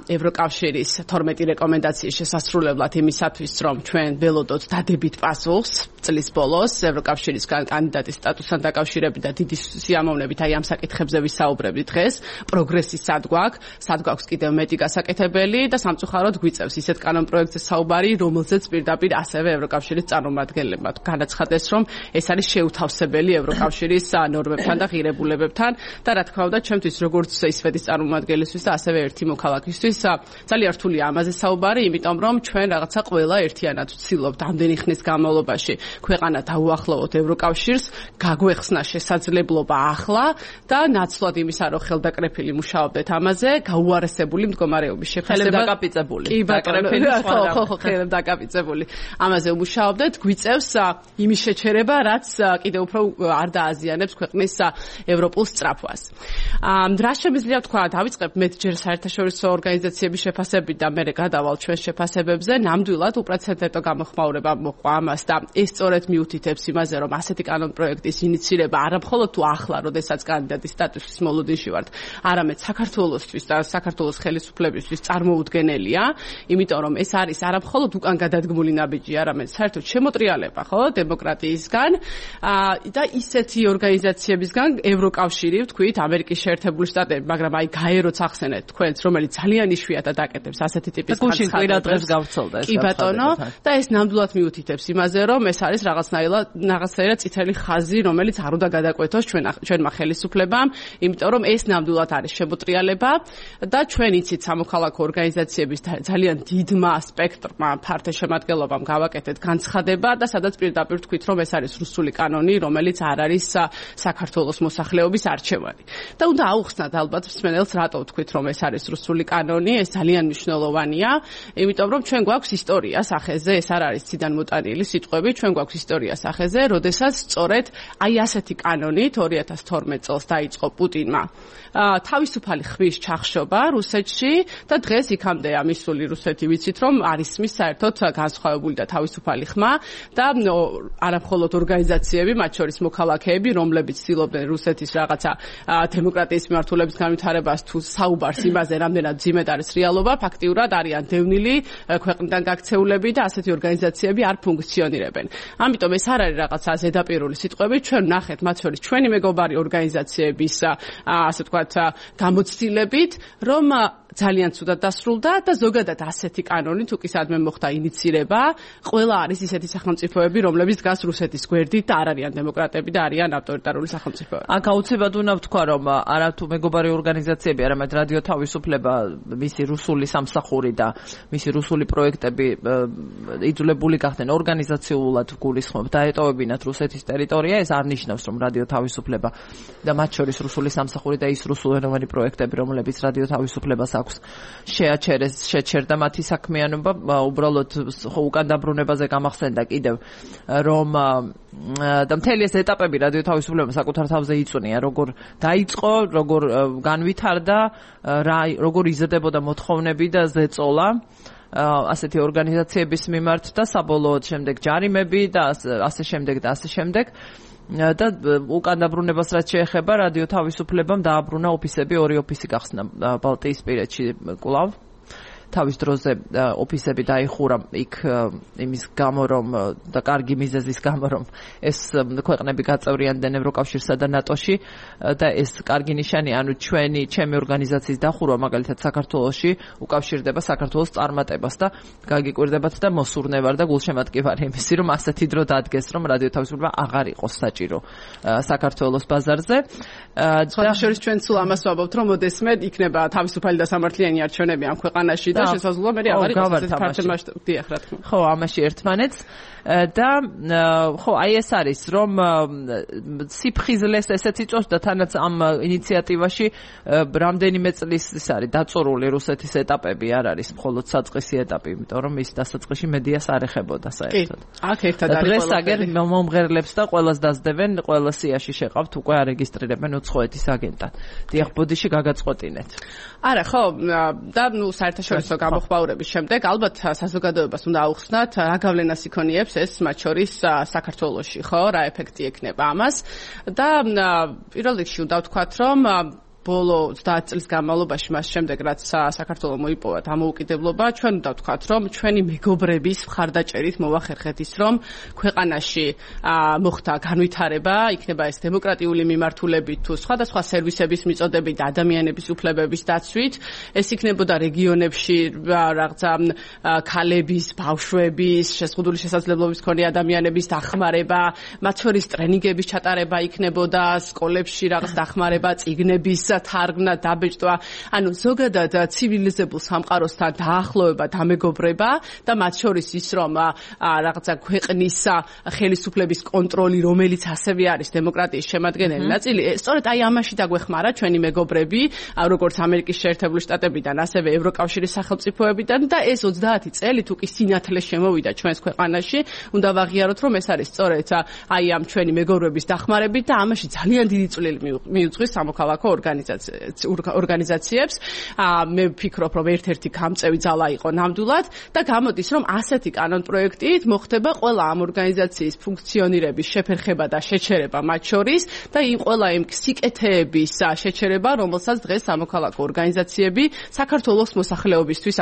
ევროკავშირის თორმეტი რეკომენდაციის შესასრულებლად იმისათვის, რომ ჩვენ ველოდოთ დადებით პასუხს წლის ბოლოს ევროკავშირისგან კანდიდატის სტატუსთან დაკავშირებით და დიდი სიამოვნებით აი ამ საკითხებზე ვისაუბრებთ დღეს. პროგრესის სად გვაქვს, სად გვაქვს კიდევ მეტი გასაკეთებელი და სამწუხაროდ გვიწევს ისეთ კანონ პროექტზე საუბარი, რომელზეც პირდაპირ ასევე ევროკავშირის წარმომადგენლებმა განაცხადეს, რომ ეს არის შეუთავსებელი ევროკავშირის ნორმებთან და ღირებულებებთან და რა თქმა უნდა, ჩემთვის როგორც ისვედის წარმომადგენლისთვის და ასევე ერთი მოქალაქისთვის ძალიან რთულია ამაზე საუბარი, იმიტომ რომ ჩვენ რაღაცა ყველა ერთიანად ვცდილობთ ამდენი ხნის განმავლობაში ქვეყანა დაუახლოვოთ ევროკავშირს, გაგვეხსნა შესაძლებლობა ახლა და ნაცვლად იმისა, რომ ხელდაკრეფილი მუშაობდეთ ამაზე, გაუარესებული მდგომარეობის შეფასება დაკაპიწებული. კი ბატონო, ხო, ხო, ხელებ დაკაპიწებული. ამაზე მუშაობდეთ, გვიწევს იმის შეჩერება, რაც კიდევ უფრო არ დააზიანებს ქვეყნის ევროპულ სწრაფვას. რა შემიძლია თქვა, დავიწყებ მე ჯერ საერთაშორისო ორგანიზაციების შეფასებით და მე გადავალ ჩვენ შეფასებებზე, ნამდვილად უპრეცედენტო გამოხმაურება მოყვა ამას და ეს სწორედ მიუთითებს იმაზე, რომ ასეთი კანონ პროექტის ინიცირება არა მხოლოდ თუ ახლა, როდესაც კანდიდატის სტატუსის მოლოდინში ვართ, არამედ საქართველოსთვის და საქართველოს ხელისუფლებისთვის წარმოუდგენელია, იმიტომ რომ ეს არის არა მხოლოდ უკან გადადგმული ნაბიჯი, არამედ საერთოდ შემოტრიალება, ხო, დემოკრატიისგან და ისეთი ორგანიზაციებისგან, ევროკავშირი, ვთქვით, ამერიკის შეერთებული შტატები, მაგრამ აი გაეროც ახსენეთ თქვენს, რომელიც ძალიან იშვიათად აკეთებს ასეთი ტიპის განცხადებებს. კი ბატონო, და ეს ნამდვილად მიუთითებს იმაზე, რომ ეს არის რაღაცნაირად რაღაცნაირად წითელი ხაზი, რომელიც არ უნდა გადაკვეთოს ჩვენ ჩვენმა ხელისუფლებამ, იმიტომ რომ ეს ნამდვილად არის შემოტრიალება და ჩვენ იცით სამოქალაქო ორგანიზაციების ძალიან დიდმა სპექტრმა ფართე შემადგენლობამ გავაკეთეთ განცხადება და სადაც პირდაპირ თქვით, რომ ეს არის რუსული კანონი, რომელიც არ არის საქართველოს მოსახლეობის არჩევანი. და უნდა აუხსნათ ალბათ მსმენელს, რატო ვთქვით, რომ ეს არის რუსული კანონი, ეს ძალიან მნიშვნელოვანია, იმიტომ რომ ჩვენ გვაქვს ისტორია სახეზე, ეს არ არის ციდან მოტანილი სიტყვები, ჩვენ გვაქვს ისტორია სახეზე, როდესაც სწორედ აი ასეთი კანონით ორი ათას თორმეტ წელს დაიწყო პუტინმა თავისუფალი ხმის ჩახშობა რუსეთში და დღეს იქამდე ამისული რუსეთი ვიცით, რომ არის მის საერთოდ განსხვავებული და თავისუფალი ხმა და არა მხოლოდ ორგანიზაციები, მათ შორის მოქალაქეები, რომლებიც ცდილობდნენ რუსეთის რაღაცა დემოკრატიის მიმართულების განვითარებას თუ საუბარს იმაზე, რამდენად ძიმედ არის რეალობა, ფაქტიურად არიან დევნილი ქვეყნიდან გაქცეულები და ასეთი ორგანიზაციები არ ფუნქციონირებენ. ამიტომ ეს არ არის რაღაცა ზედაპირული სიტყვები, ჩვენ ნახეთ მათ შორის ჩვენი მეგობარი ორგანიზაციების ასე ვთქვათ გამოცდილებით, რომ ძალიან ცუდად დასრულდა და ზოგადად ასეთი კანონი თუ კი სადმე მოხდა ინიცირება, ყველა არის ისეთი სახელმწიფოები, რომლებიც დგას რუსეთის გვერდით და არ არიან დემოკრატები და არიან ავტორიტარული სახელმწიფოები. აქ აუცილებლად უნდა ვთქვა, რომ არა თუ მეგობარი ორგანიზაციები, არამედ რადიო თავისუფლება, მისი რუსული სამსახური და მისი რუსული პროექტები იძულებული გახდნენ ორგანიზაციულად გულისხმობ დაეტოვებინათ რუსეთის ტერიტორია, ეს არ ნიშნავს, რომ რადიო თავისუფლება და მათ შორის რუსული სამსახური და ის რუსულენოვანი პროექტები, რომლებიც რადიო თავისუფლებას აქვს შეაჩერეს, შეჩერდა მათი საქმიანობა, უბრალოდ უკან დაბრუნებაზე გამახსენდა კიდევ, რომ და მთელი ეს ეტაპები რადიო თავისუფლებამ საკუთარ თავზე იწვნია, როგორ დაიწყო, როგორ განვითარდა, როგორ იზრდებოდა მოთხოვნები და ზეწოლა ასეთი ორგანიზაციების მიმართ და საბოლოოდ შემდეგ ჯარიმები და ასე შემდეგ და ასე შემდეგ. და უკან დაბრუნებას რაც შეეხება რადიო თავისუფლებამ დააბრუნა ოფისები, ორი ოფისი გახსნა ბალტიისპირეთში კვლავ. თავის დროზე ოფისები დაიხურა იქ იმის გამო, რომ და კარგი მიზეზის გამო, რომ ეს ქვეყნები გაწევრიანდნენ ევროკავშირსა და ნატოში და ეს კარგი ნიშანი, ანუ ჩვენი ჩემი ორგანიზაციის დახურვა მაგალითად საქართველოში უკავშირდება საქართველოს წარმატებას და გაგიკვირდებათ და მოსურნე ვარ და გულშემატკი ვარ იმისი, რომ ასეთი დრო დადგეს, რომ რადიო თავისუფლება აღარ იყოს საჭირო საქართველოს ბაზარზე. და შორის ჩვენ სულ ამას ვამბობთ, რომ ოდესმე იქნება თავისუფალი და სამართლიანი არჩევნები ამ ქვეყანაში და შესაძლოა მე აღარ იყოს ეს ფართო მასშტაბი, დიახ, რა თქმა უნდა. ხო, ამაში ერთმანეთს და ხო, აი ეს არის, რომ სიფხიზლეს ესეც იწვევს და თანაც ამ ინიციატივაში რამდენიმე წლის ის არის დაწურული რუსეთის ეტაპები, არ არის მხოლოდ საწყისი ეტაპი, იმიტომ რომ ის დასაწყისში მედიას არ ეხებოდა საერთოდ. აქ ერთად არის დღეს აგერ მომღერლებს და ყველას დასდებენ, ყველა სიაში შეყავთ უკვე არეგისტრირებენ უცხოეთის აგენტად. დიახ, ბოდიში გაგაწყვეტინეთ. არა, ხო, და ნუ საერთაშორისო გამოხმაურების შემდეგ ალბათ საზოგადოებას უნდა აუხსნათ, რა გავლენას იქონიებს ეს მათ შორის საქართველოში, ხო, რა ეფექტი ექნება ამას და პირველ რიგში უნდა ვთქვათ, რომ ბოლო ოცდაათ წლის განმავლობაში მას შემდეგ რაც საქართველოს მოიპოვა დამოუკიდებლობა ჩვენ უნდა ვთქვათ რომ ჩვენი მეგობრების მხარდაჭერით მოვახერხეთ ის რომ ქვეყანაში მოხდა განვითარება იქნება ეს დემოკრატიული მიმართულებით თუ სხვადასხვა სერვისების მიწოდებით და ადამიანების უფლებების დაცვით ეს იქნებოდა რეგიონებში რაღაცა ქალების ბავშვების შეზღუდული შესაძლებლობის მქონე ადამიანების დახმარება მათ შორის ტრენინგების ჩატარება იქნებოდა სკოლებში რაღაც დახმარება წიგნების თარგმნა დაბეჭდვა ანუ ზოგადად ცივილიზებულ სამყაროსთან დაახლოება დამეგობრება და მათ შორის ის რომ რაღაცა ქვეყნის ხელისუფლების კონტროლი რომელიც ასევე არის დემოკრატიის შემადგენელი ნაწილი სწორედ აი ამაში დაგვეხმარა ჩვენი მეგობრები როგორც ამერიკის შეერთებული შტატებიდან ასევე ევროკავშირის სახელმწიფოებიდან და ეს ოცდაათი წელი თუ კი სინათლე შემოვიდა ჩვენს ქვეყანაში უნდა ვაღიაროთ რომ ეს არის სწორედ აი ამ ჩვენი მეგობრების დახმარებით და ამაში ძალიან დიდი წვლილი მიუძღვის სამოქალაქო ორგანიზაციებს მე ვფიქრობ რომ ერთ-ერთი გამწევი ძალა იყო ნამდვილად და გამოდის რომ ასეთი კანონპროექტით მოხდება ყველა ამ ორგანიზაციის ფუნქციონირების შეფერხება და შეჩერება მათ შორის და იმ ყველა იმ სიკეთეების შეჩერება რომელსაც დღეს სამოქალაქო ორგანიზაციები საქართველოს მოსახლეობისთვის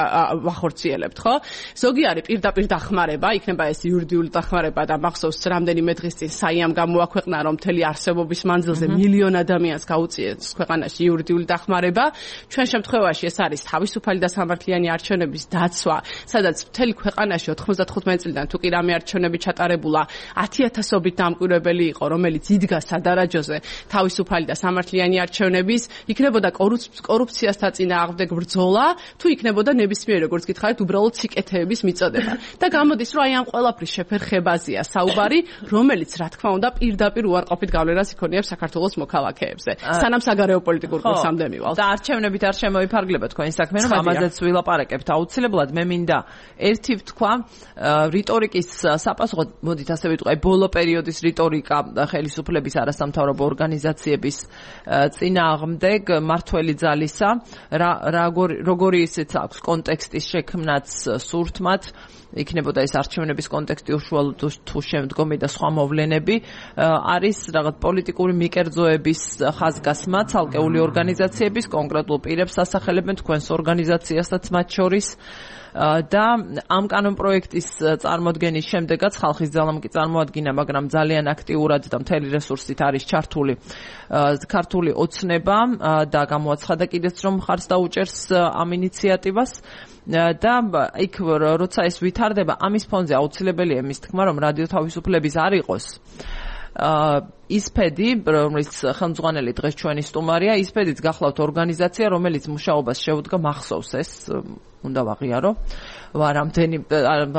ვახორციელებთ ხო ზოგი არის პირდაპირ დახმარება იქნება ეს იურიდიული დახმარება და მახსოვს რამდენიმე დღის წინ საიამ გამოაქვეყნა რომ მთელი არსებობის მანძილზე მილიონ ადამიანს გაუწიეს ქვეყანაში იურიდიული დახმარება ჩვენ შემთხვევაში ეს არის თავისუფალი და სამართლიანი არჩევნების დაცვა სადაც მთელი ქვეყანაში ოთხმოცდათხუთმეტი წლიდან თუ კი რამე არჩევნები ჩატარებულა ათი ათასობით დამკვირვებელი იყო რომელიც იდგა სადარაჯოზე თავისუფალი და სამართლიანი არჩევნების იქნებოდა კორუფციასთან წინააღმდეგ ბრძოლა თუ იქნებოდა ნებისმიერ როგორც გითხარით უბრალოდ სიკეთეების მიწოდება და გამოდის რომ აი ამ ყველაფრის შეფერხებაზეა საუბარი რომელიც რა თქმა უნდა პირდაპირ უარყოფით გავლენას იქონიებს საქართველოს მოქალაქეებზე სანამ საგარეო პოლიტიკურ კურსამდე მივალთ და არჩევნებით არ შემოიფარგლება თქვენი საქმე რომ ამაზეც ვილაპარაკებთ აუცილებლად მე მინდა ერთი ვთქვა რიტორიკის საპასუხოდ მოდით ასე ვიტყვი ბოლო პერიოდის რიტორიკა ხელისუფლების არასამთავრობო ორგანიზაციების წინააღმდეგ მართველი ძალისა როგორი ისიც აქვს კონტექსტის შექმნაც სურთმათ იქნებოდა ეს არჩევნების კონტექსტი უშუალოდ თუ შემდგომი და სხვა მოვლენები არის რაღაც პოლიტიკური მიკერძოების ხაზგასმა ცალკეული ორგანიზაციების კონკრეტულ პირებს ასახელებენ თქვენს ორგანიზაციასაც მათ შორის და ამ კანონპროექტის წარმოდგენის შემდეგაც ხალხის ძალამ კი წარმოადგინა მაგრამ ძალიან აქტიურად და მთელი რესურსით არის ჩართული ქართული ოცნება და გამოაცხადა კიდეც რომ მხარს დაუჭერს ამ ინიციატივას და იქ როცა ეს ვითარდება ამის ფონზე აუცილებელია იმის თქმა რომ რადიო თავისუფლების არ იყოს ისფედი რომელიც ხელმძღვანელი დღეს ჩვენი სტუმარია ისფედიც გახლავთ ორგანიზაცია რომელიც მუშაობას შეუდგა მახსოვს ეს უნდა ვაღიარო ვარამდენი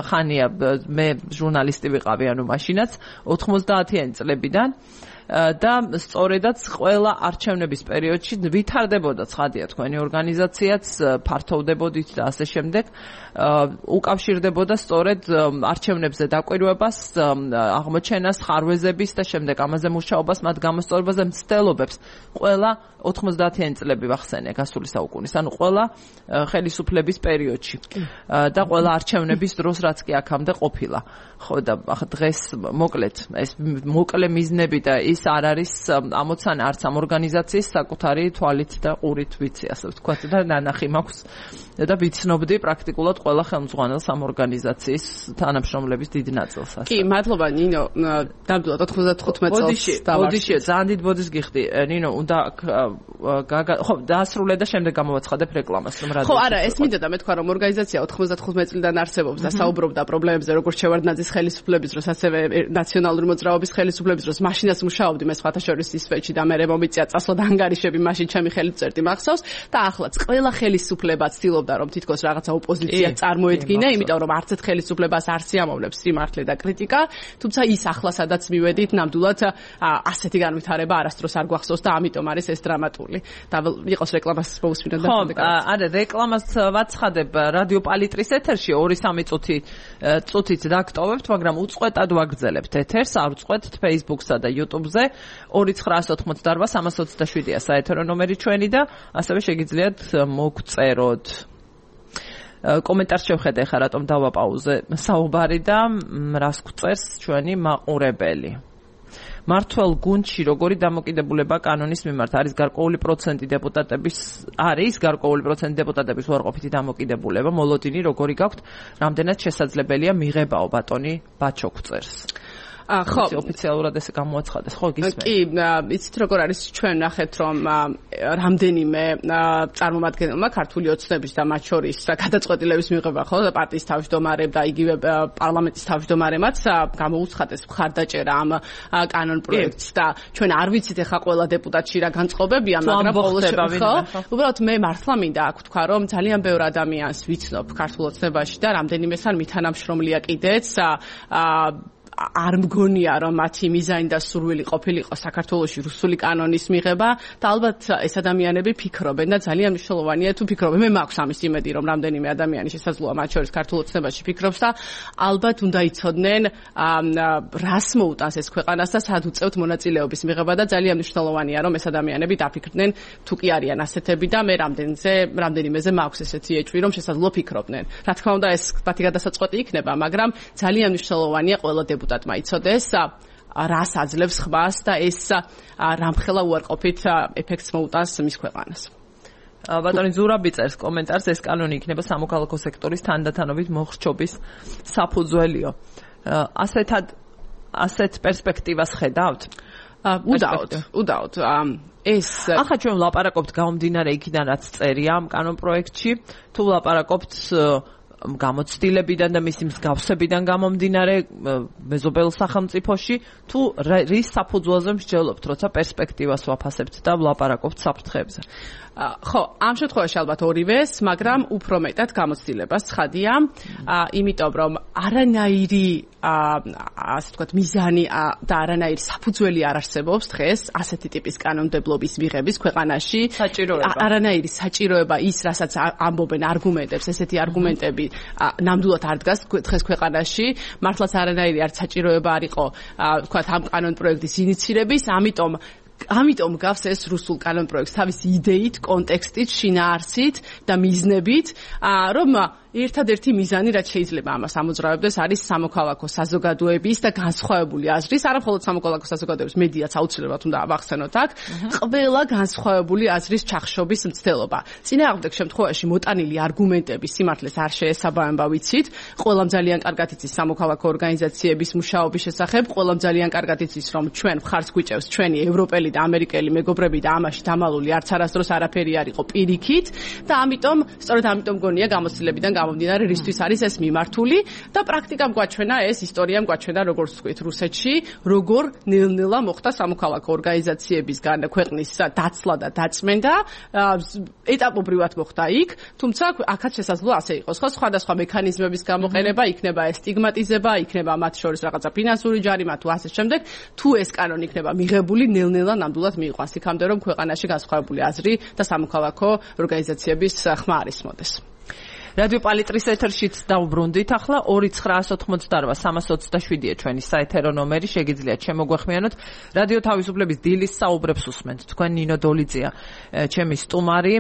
ხანია მე ჟურნალისტი ვიყავი ანუ მაშინაც ოთხმოცდაათიანი წლებიდან და სწორედაც ყველა არჩევნების პერიოდში ვითარდებოდა ცხადია თქვენი ორგანიზაციაც ფართოვდებოდით და ასე შემდეგ უკავშირდებოდა სწორედ არჩევნებზე დაკვირვებას აღმოჩენას ხარვეზების და შემდეგ ამაზე მუშაობას მათ გამოსწორებაზე მცდელობებს ყველა ოთხმოცდაათიანი წლები ვახსენე გასული საუკუნის ანუ ყველა ხელისუფლების პერიოდში და ყველა არჩევნების დროს რაც კი აქამდე ყოფილა ხო და დღეს მოკლედ ეს მოკლე მიზნები და ის არ არის ამოცანა არც ამ ორგანიზაციის საკუთარი თვალით და ყურით ვიცი ასე ვთქვათ და ნანახი მაქვს და ვიცნობდი პრაქტიკულად ყველა ხელმძღვანელს ამ ორგანიზაციის თანამშრომლების დიდ ნაწილს ასე. კი, მადლობა ნინო, ნამდვილად ოთხმოცდათხუთმეტ წელს დავარქვი. ბოდიში, ძალიან დიდ ბოდის გიხდი. ნინო, უნდა ხო, დაასრულე და შემდეგ გამოვაცხადებ რეკლამას, რომ რადიო. ხო, არა, ეს მინდა და მე თქვა რომ ორგანიზაცია ოთხმოცდათხუთმეტ წლიდან არსებობს და საუბრობდა პრობლემებზე, როგორც შევარდნაძის ხელისუფლების დროს, ასევე ნაციონალური მოძრაობის ხელისუფლების დროს, მაშინაც მუშაობდი მე სხვათა შორის ისვეჩი და მე მომიწია წასვლა და ანგარიშები მაშინ ჩემი ხელით წერდი მახსოვს და ახლაც ყველა ხელისუფლება ცდილობდა რომ თითქოს რაღაცა ოპოზიცია წარმოედგინა, იმიტომ რომ არც ერთ ხელისუფლებას არ სიამოვნებს სიმართლე და კრიტიკა, თუმცა ის ახლა სადაც მივედით, ნამდვილად ასეთი განვითარება არასდროს არ გვახსოვს და ამიტომ არის ეს დრამატული. და იყოს რეკლამას მოусმინოთ და შემდეგ. ხო, არა, რეკლამას ვაცხადებ რადიო პალიტრის ეთერში ორი სამი წუთი წუთით დაგტოვებთ, მაგრამ უწყვეტად ვაგრძელებთ ეთერს, არ უწყვეტთ Facebook-სა და YouTube-ზე ორი ცხრაასი ოცდაოთხი სამას ოცდაშვიდია საეთერო ნომერი ჩვენი და ასევე შეგიძლიათ მოგწეროთ. კომენტარს შევხედე ხა რატომ დავაპაუზე საუბარი და რას გვწერს ჩვენი მაყურებელი. მართველ გუნდში როგორი დამოკიდებულება კანონის მიმართ არის გარკვეული პროცენტი დეპუტატების არის გარკვეული პროცენტი დეპუტატების უარყოფითი დამოკიდებულება მოლოდინი როგორი გაქვთ რამდენად შესაძლებელია მიღებაო ბატონი ბაჩოქწერს ხო, ოფიციალურად ესე გამოაცხადეს, ხო, გისმენთ? კი, იცით როგორ არის, ჩვენ ნახეთ, რომ რამდენიმე წარმომადგენელმა ქართული ოცნების და მათ შორის გადაწყვეტილების მიღება, ხო, პარტიის თავმჯდომარემ და იგივე პარლამენტის თავმჯდომარემაც გამოუცხადეს მხარდაჭერა ამ კანონ პროექტს და ჩვენ არ ვიცით ახლა ყველა დეპუტატში რა განწყობებია, მაგრამ ყოველ შემთხვევაში, უბრალოდ მე მართლა მინდა აქ ვთქვა, რომ ძალიან ბევრ ადამიანს ვიცნობ ქართულ ოცნებაში და რამდენიმესთან მითანამშრომლია კიდეც არ მგონია რომ მათი მიზანი და სურვილი ყოფილიყო საქართველოში რუსული კანონის მიღება და ალბათ ეს ადამიანები ფიქრობენ და ძალიან მნიშვნელოვანია თუ ფიქრობენ მე მაქვს ამის იმედი რომ რამდენიმე ადამიანი შესაძლოა მათ შორის ქართულ ოცნებაში ფიქრობს და ალბათ უნდა იცოდნენ რას მოუტანს ეს ქვეყანას და სად უწევთ მონაწილეობის მიღება და ძალიან მნიშვნელოვანია რომ ეს ადამიანები დაფიქრდნენ თუ კი არიან ასეთები და მე რამდენზე რამდენიმეზე მაქვს ესეთი ეჭვი რომ შესაძლოა ფიქრობდნენ რა თქმა უნდა ეს მათი გადასაწყვეტი იქნება მაგრამ ძალიან მნიშვნელოვანია ყველა დეპუტატმა იცოდეს რას აძლევს ხმას და ეს რამხელა უარყოფით ეფექტს მოუტანს მის ქვეყანას. ბატონი ზურაბი წერს კომენტარს ეს კანონი იქნება სამოქალაქო სექტორის თანდათანობით მოხრჩობის საფუძველიო. ასეთად ასეთ პერსპექტივას ხედავთ? უდაოდ, უდაოდ. ეს ახლა ჩვენ ვლაპარაკობთ გამომდინარე იქიდან რაც წერია ამ კანონ პროექტში, თუ ვლაპარაკობთ გამოცდილებიდან და მისი მსგავსებიდან გამომდინარე მეზობელ სახელმწიფოში თუ რის საფუძველზე მსჯელობთ, როცა პერსპექტივას ვაფასებთ და ვლაპარაკობთ საფრთხეებზე. ხო, ამ შემთხვევაში ალბათ ორივეს, მაგრამ უფრო მეტად გამოცდილებას ცხადია, იმიტომ რომ არანაირი ასე ვთქვათ მიზანი და არანაირი საფუძველი არ არსებობს დღეს ასეთი ტიპის კანონმდებლობის მიღების ქვეყანაში. საჭიროება. არანაირი საჭიროება ის, რასაც ამბობენ არგუმენტებს, ესეთი არგუმენტები ნამდვილად არ დგას დღეს ქვეყანაში. მართლაც არანაირი არ საჭიროება არ იყო, ვთქვათ, ამ კანონპროექტის ინიცირების, ამიტომ ამიტომ გავს ეს რუსულ კანონპროექტს თავის იდეით, კონტექსტით, შინაარსით და მიზნებით, რომ ერთადერთი მიზანი, რაც შეიძლება ამას ამოძრავებდეს, არის სამოქალაქო საზოგადოების და განსხვავებული აზრის, არა მხოლოდ სამოქალაქო საზოგადოების მედიაც აუცილებლად უნდა ავახსენოთ აქ, ყველა განსხვავებული აზრის ჩახშობის მცდელობა. წინააღმდეგ შემთხვევაში მოტანილი არგუმენტების სიმართლეს არ შეესაბამება ვიცით, ყველამ ძალიან კარგად იცის სამოქალაქო ორგანიზაციების მუშაობის შესახებ, ყველამ ძალიან კარგად იცის, რომ ჩვენ მხარს გვიჭევს ჩვენი ევროპელი და ამერიკელი მეგობრები და ამაში დამალული არც არასდროს არაფერი არ იყო პირიქით და ამიტომ, სწორედ ამიტომ გონია გამოცდილებიდან გამომდინარე რისთვის არის ეს მიმართული და პრაქტიკამ გვაჩვენა ეს ისტორიამ გვაჩვენა როგორც ვთქვით რუსეთში როგორ ნელ-ნელა მოხდა სამოქალაქო ორგანიზაციებისგან ქვეყნის დაცლა და დაწმენდა ეტაპობრივად მოხდა იქ თუმცა აქაც შესაძლოა ასე იყოს ხო სხვადასხვა მექანიზმების გამოყენება იქნება ეს სტიგმატიზება იქნება მათ შორის რაღაცა ფინანსური ჯარიმა თუ ასე შემდეგ თუ ეს კანონი იქნება მიღებული ნელ-ნელა ნამდვილად მიიყვანს იქამდე რომ ქვეყანაში განსხვავებული აზრი და სამოქალაქო ორგანიზაციების ხმა არ ისმოდეს. რადიო პალიტრის ეთერშიც დავბრუნდით ახლა ორი ცხრაასი ოცდაოთხ სამას ოცდაშვიდია ჩვენი საეთერო ნომერი შეგიძლიათ შემოგვეხმიანოთ რადიო თავისუფლების დილის საუბრებს უსმენთ თქვენ ნინო დოლიძია ჩემი სტუმარი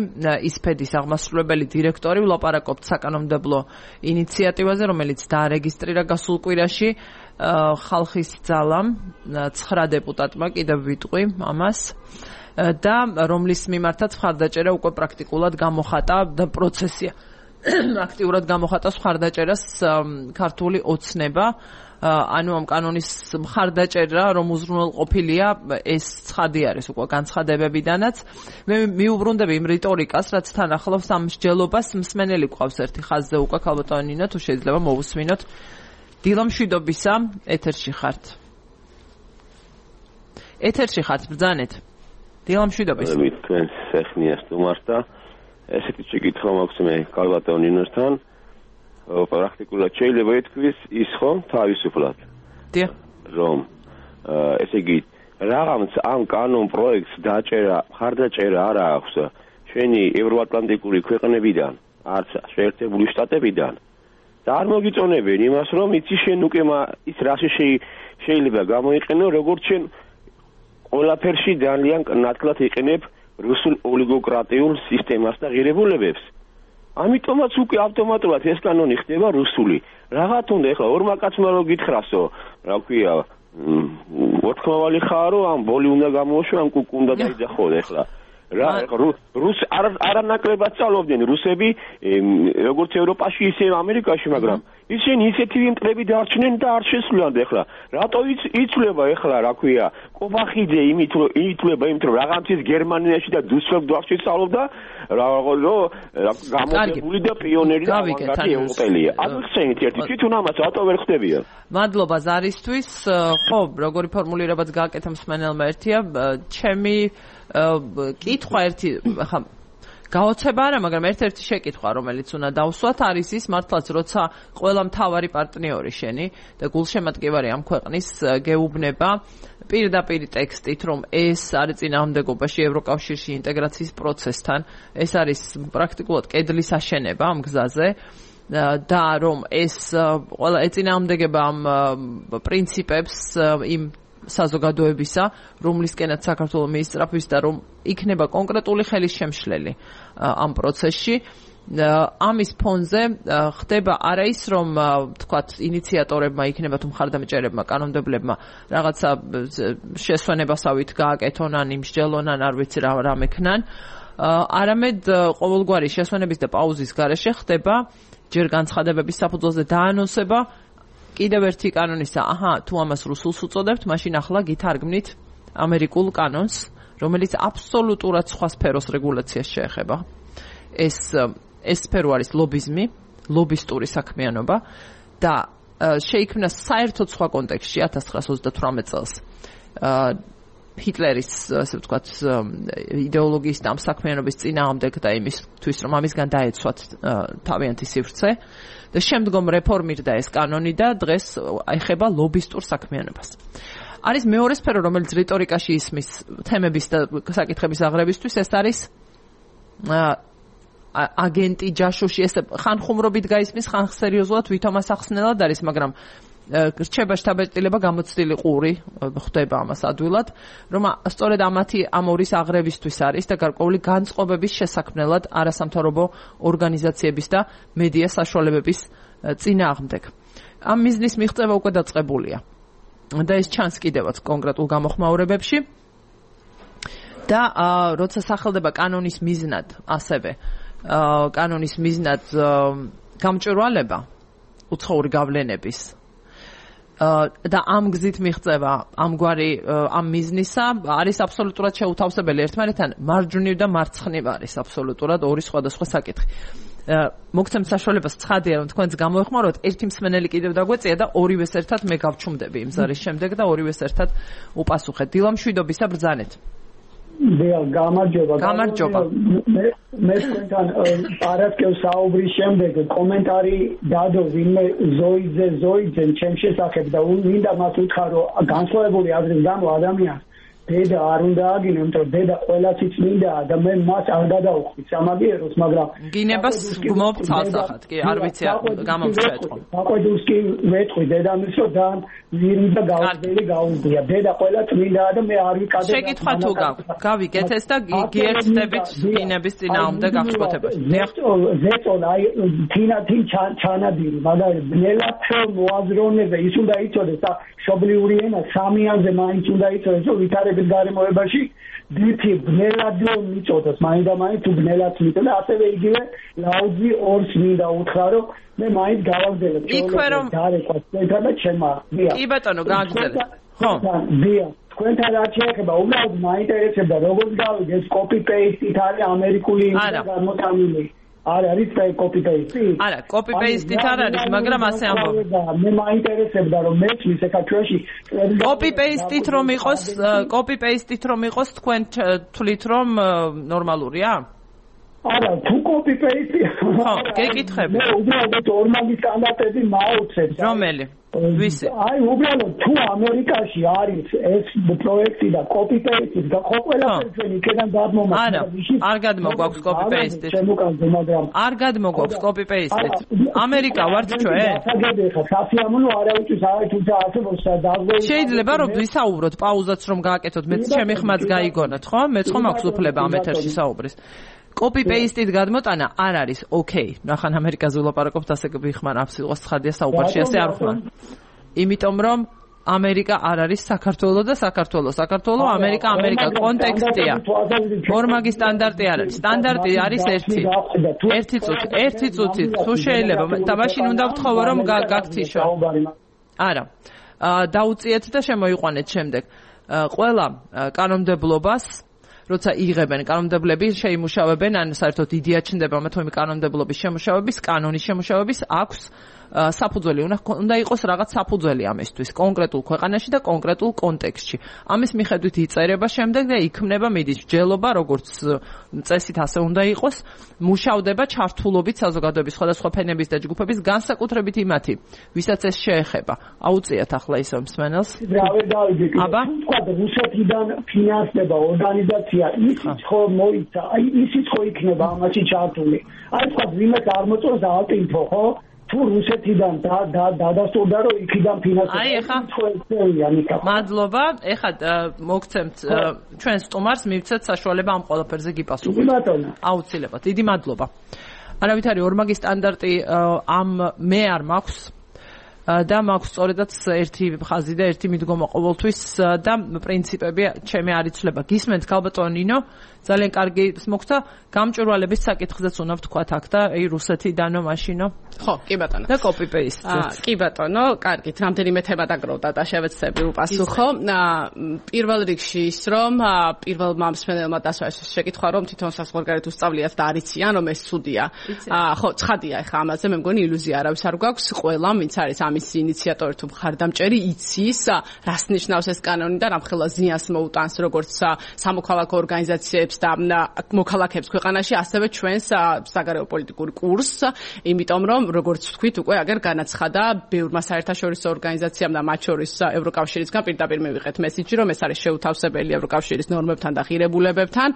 ისფედის აღმასრულებელი დირექტორი ვლაპარაკობთ საკანონმდებლო ინიციატივაზე რომელიც დაარეგისტრირა გასულ კვირაში ხალხის ძალამ ცხრა დეპუტატმა კიდევ ვიტყვი ამას და რომლის მიმართაც მხარდაჭერა უკვე პრაქტიკულად გამოხატა და პროცესია აქტიურად გამოხატავს მხარდაჭერას ქართული ოცნება ანუ ამ კანონის მხარდაჭერა რომ უზრუნველყოფილია ეს ცხადი არის უკვე განცხადებებიდანაც მე მიუბრუნდები იმ რიტორიკას რაც თან ახლავს ამ მსჯელობას მსმენელი ყავს ერთი ხაზზე უკვე ქალბატონი ნინო თუ შეიძლება მოვუსმინოთ დილა მშვიდობისა ეთერში ხართ ეთერში ხართ ბრძანეთ დილა მშვიდობისა მე თქვენ სეხნია სტუმართა ესეთი შეკითხვა მაქვს მე ქალბატონ ნინოსთან პრაქტიკულად შეიძლება ითქვის ის ხო თავისუფლად დიახ რომ ესე იგი რაღაც ამ კანონ პროექტს დაჭერა მხარდაჭერა არ აქვს ჩვენი ევროატლანტიკური ქვეყნებიდან არც შეერთებული შტატებიდან და არ მოგიწონებენ იმას რომ იცი შენ უკვე ის რაში შეიძლება გამოიყენო როგორც შენ ყველაფერში ძალიან ნათლად იყენებ რუსულ ოლიგოკრატიულ სისტემას და ღირებულებებს. ამიტომაც უკვე ავტომატურად ეს კანონი ხდება რუსული. რაღაც უნდა ეხლა ორმა კაცმა რო გითხრასო, რა ქვია, მოთქმავალი ხარ რომ ამ ბოლი უნდა გამოუშვა ამ კუკუ უნდა დაიძახო ეხლა რა რუს არანაკლებად სწავლობდნენ რუსები როგორც ევროპაში ისე ამერიკაში მაგრამ ისინი ისეთი მტრები დარჩნენ და არ შესულან ეხლა რატო იცვლება ეხლა რა ქვია კობახიძე იმით რომ ითვლება იმით რომ რაღაცის გერმანიაში და დუსელდორფში სწავლობდა რომ გამოდებული და პიონერი და ავანგარდი ევროპელია აღხსენით ერთი თვითონ ამას რატო ვერ ხდებია მადლობა ზარისთვის ხო როგორი ფორმულირებაც გააკეთა მსმენელმა ერთია ჩემი კითხვა ერთი ხა გაოცება არა მაგრამ ერთ-ერთი შეკითხვა რომელიც უნდა დავსვათ არის ის მართლაც როცა ყველა მთავარი პარტნიორი შენი და გულშემატკივარი ამ ქვეყნის გეუბნება პირდაპირ ტექსტით რომ ეს არის წინააღმდეგობაში ევროკავშირში ინტეგრაციის პროცესთან ეს არის პრაქტიკულად კედლის აშენება ამ გზაზე და რომ ეს ყველა ეწინააღმდეგება ამ პრინციპებს იმ საზოგადოებისა, რომლისკენაც საქართველოს მიისწრაფვის და რომ იქნება კონკრეტული ხელის შემშლელი ამ პროცესში. ამის ფონზე ხდება არა ის რომ თქვათ ინიციატორებმა იქნება თუ მხარდამჭერებმა კანონმდებლებმა რაღაცა შესვენებასავით გააკეთონ ან იმსჯელონ ან არ ვიცი რა რა მექნან არამედ ყოველგვარი შესვენების და პაუზის გარეშე ხდება ჯერ განცხადებების საფუძველზე დაანონსება კიდევ ერთი კანონისა, აჰა, თუ ამას რუსულს უწოდებთ, მაშინ ახლა გითარგმნით ამერიკულ კანონს, რომელიც აბსოლუტურად სხვა სფეროს რეგულაციას შეეხება. ეს ეს სფერო არის ლობიზმი, ლობისტური საქმიანობა და შეიქმნა საერთოდ სხვა კონტექსტში ათას ცხრაასა ოცდათვრამეტ წელს. ჰიტლერის, ასე ვთქვათ, იდეოლოგიის და ამ საქმიანობის წინააღმდეგ და იმისთვის, რომ ამისგან დაეცვათ თავიანთი სივრცე. და შემდგომ რეფორმირდა ეს კანონი და დღეს ეხება ლობისტურ საქმიანობას. არის მეორე სფერო, რომელიც რიტორიკაში ისმის თემების და საკითხების აღრევისთვის, ეს არის აგენტი, ჯაშუში, ეს ხანხუმრობით გაისმის, ხან სერიოზულად ვითომას ახსნელად არის, მაგრამ რჩება შთაბეჭდილება გამოცდილი ყური ხდება ამას ადვილად, რომ სწორედ ამათი ამ ორის აღრევისთვის არის და გარკვეული განწყობების შესაქმნელად არასამთავრობო ორგანიზაციების და მედია საშუალებების წინააღმდეგ. ამ მიზნის მიღწევა უკვე დაწყებულია და ეს ჩანს კიდევაც კონკრეტულ გამოხმაურებებში და როცა სახელდება კანონის მიზნად ასევე კანონის მიზნად გამჭვირვალება უცხოური გავლენების და ამ გზით მიღწევა ამგვარი ამ მიზნისა არის აბსოლუტურად შეუთავსებელი ერთმანეთთან მარჯვნივ და მარცხნივ არის აბსოლუტურად ორი სხვადასხვა საკითხი. მოგცემთ საშუალებას ცხადია რომ თქვენს გამოეხმაროთ ერთი მსმენელი კიდევ დაგვეწია და ორივეს ერთად მე გავჩუმდები იმ ზარის შემდეგ და ორივეს ერთად უპასუხეთ. დილა მშვიდობისა ბრძანეთ. დიახ, გამარჯობა. გამარჯობა. მე მე თქვენთან პარასკევს საუბრის შემდეგ კომენტარი დადო ვინმე ზოიძე ზოიძე ჩემ შესახებ და მინდა მას უთხრა რომ განსხვავებული აზრის გამო ადამიანს დედა არ უნდა აგინო, იმიტომ რომ დედა ყველასი წმინდა და მე მას არ გადაუხდი სამაგიეროს, მაგრამ გინებას გმობ ცალსახად, კი, არ ვიცი გამომწეთყო. აყვედურს კი ვეთყვი დედამისს რომ და ვირი და გავზელი გაუზია. დედა ყველა წმინდაა და მე არ ვიკადე. შეკითხვა თუ გაქვთ, გავიგეთ ეს და გიერთდებით გინების წინააღმდეგ აღშფოთებას. ზეწოლ აი თინა თინ ჩანადირი, მაგრამ ბნელად მოაზროვნე ის უნდა იცოდეს და მშობლიური ენა სამიანზე მაინც უნდა იცოდეს რომ ვითარების გარემოებაში დითი ბნელად მიწოდოს მაინც და მაინც თუ ბნელად მიწოდა ასევე იგივე ლაუძი ორს მინდა უთხრა რომ მე მაინც გავაგზავნებ შეგიძლიათ დარეკვა თქვენთან და ჩემმა დიახ კი ბატონო გააგზავნეთ ხო დიახ თქვენთან რაც შეეხება უბრალოდ მაინტერესებდა როგორც გავიგე ეს კოპი პეისტით არის ამერიკული გამოტანილი არ არის კოპი პეისტი? არა, კოპი პეისტით არ არის, მაგრამ ასე ამბობ. მე მაინტერესებდა რომ მეცვის ეკაჩუაში კოპი პეისტით რომ იყოს, კოპი პეისტით რომ იყოს, თქვენ თვლით რომ ნორმალურია? არა, თუ კოპი პეისტი. ხო, გეკითხები. მე უბრალოდ ორმაგი სტანდარტები მაუცებ. რომელი? ვისი? აი, უბრალოდ თუ ამერიკაში არის ეს პროექტი და კოპი პეისტი და ხო ყველაფერი ჩვენ იქიდან გადმომაქვს. არა, არ გადმოგვაქვს კოპი პეისტით. არ გადმოგვაქვს კოპი პეისტით. ამერიკა ვართ ჩვენ? საგებია, სასიამოვნო არავითარ არავითარ თუმცა არსებობს დაგვრეულ. შეიძლება რომ ვისაუბროთ, პაუზაც რომ გააკეთოთ, მეც ჩემი ხმაც გაიგონოთ, ხო? მეც ხომ აქვს უფლება ამ ეთერში საუბრის. კოპი პეისტით გადმოტანა არ არის ოკეი. ნახან ამერიკაზე ვლაპარაკობთ, ასე გიხმარ აბსოლუტურად ცხადია საუბარში, ასე არ ხმარ. იმიტომ რომ ამერიკა არ არის საქართველო და საქართველო საქართველო ამერიკა ამერიკა კონტექსტია ორმაგი სტანდარტი არ არის სტანდარტი არის ერთი ერთი წუთი ერთი წუთი თუ შეიძლება და მაშინ უნდა ვთხოვო რომ გაგთიშო არა დაუწიეთ და შემოიყვანეთ შემდეგ ყველა კანონმდებლობას როცა იღებენ კანონმდებლები შეიმუშავებენ ან საერთოდ იდეა ჩნდება მეთომი კანონმდებლობის შემუშავების კანონის შემუშავების აქვს საფუძველი უნდა იყოს რაღაც საფუძველი ამისთვის კონკრეტულ ქვეყანაში და კონკრეტულ კონტექსტში ამის მიხედვით იწერება შემდეგ და იქმნება მიდის მსჯელობა როგორც წესით ასე უნდა იყოს მუშავდება ჩართულობით საზოგადოების სხვადასხვა ფენების და ჯგუფების განსაკუთრებით იმათი ვისაც ეს შეეხება აუწიათ ახლა ისო მსმენელს აბა თქვა რუსეთიდან ფინანსდება ორგანიზაცია ისიც ხო მოიცა აი ისიც ხო იქნება ამაში ჩართული აი თქვა ვინმე წარმოწოს ალტინფო ხო თუ რუსეთიდან და დადასტურდა რომ იქიდან ფინანსება აი ეხა მადლობა ეხა მოგცემთ ჩვენ სტუმარს მივცეთ საშუალება ამ ყველაფერზე გიპასუხოთ ბატონო აუცილებლად დიდი მადლობა არავით არის ორმაგი სტანდარტი ამ მე არ მაქვს და მაქვს სწორედაც ერთი ხაზი და ერთი მიდგომა ყოველთვის და პრინციპები ჩემი არ იცვლება გისმენთ ქალბატონო ნინო ძალიან კარგი მოგცა გამჭვირვალების საკითხზეც უნდა ვთქვათ აქ და აი რუსეთიდანო მაშინო ხო კი ბატონო და კოპი პეისტ კი ბატონო კარგით რამდენიმე თემა დაგროვდა და შევეცდები უპასუხო პირველ რიგში ის რომ პირველმა მსმენელმა დასვაშეს შეკითხვა რომ თვითონ საზღვარგარეთ უსწავლიათ და არიციან რომ ეს ცუდია ხო ცხადია ეხა ამაზე მე მგონი ილუზია არავის არ გვაქვს ყველა ვინც არის ამის ინიციატორი თუ მხარდამჭერი იცის რას ნიშნავს ეს კანონი და რამხელა ზიანს მოუტანს როგორც სამოქალაქო ორგანიზაციებს და მოქალაქეებს ქვეყანაში ასევე ჩვენს საგარეო პოლიტიკურ კურსს იმიტომ რომ როგორც ვთქვით უკვე აგერ განაცხადა ბევრმა საერთაშორისო ორგანიზაციამ და მათ შორის ევროკავშირისგან პირდაპირ მივიღეთ მესიჯი რომ ეს არის შეუთავსებელი ევროკავშირის ნორმებთან და ღირებულებებთან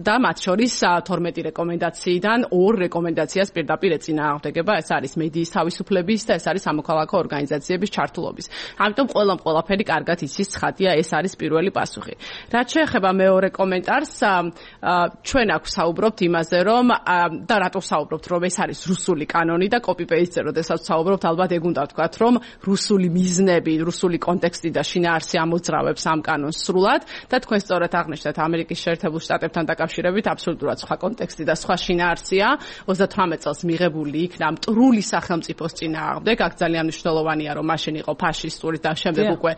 და მათ შორის თორმეტი რეკომენდაციიდან ორ რეკომენდაციას პირდაპირ ეწინააღმდეგება ეს არის მედიის თავისუფლების და ეს არის სამოქალაქო ორგანიზაციების ჩართულობის ამიტომ ყველამ ყველაფერი კარგად იცის ცხადია ეს არის პირველი პასუხი რაც შეეხება მეორე კომენტარს ჩვენ აქ საუბრობთ იმაზე რომ და რატო საუბრობთ რომ ეს არის რუსული კანონი და კოპი პეისტზე როდესაც საუბრობთ ალბათ ეგ უნდა ვთქვათ რომ რუსული მიზნები რუსული კონტექსტი და შინაარსი ამოძრავებს ამ კანონს სრულად და თქვენ სწორად აღნიშნეთ ამერიკის შეერთებულ შტატებთან დაკავშირებით აბსოლუტურად სხვა კონტექსტი და სხვა შინაარსია ოცდათვრამეტ წელს მიღებული იქნა მტრული სახელმწიფოს წინააღმდეგ აქ ძალიან მნიშვნელოვანია რომ მაშინ იყო ფაშისტური და შემდეგ უკვე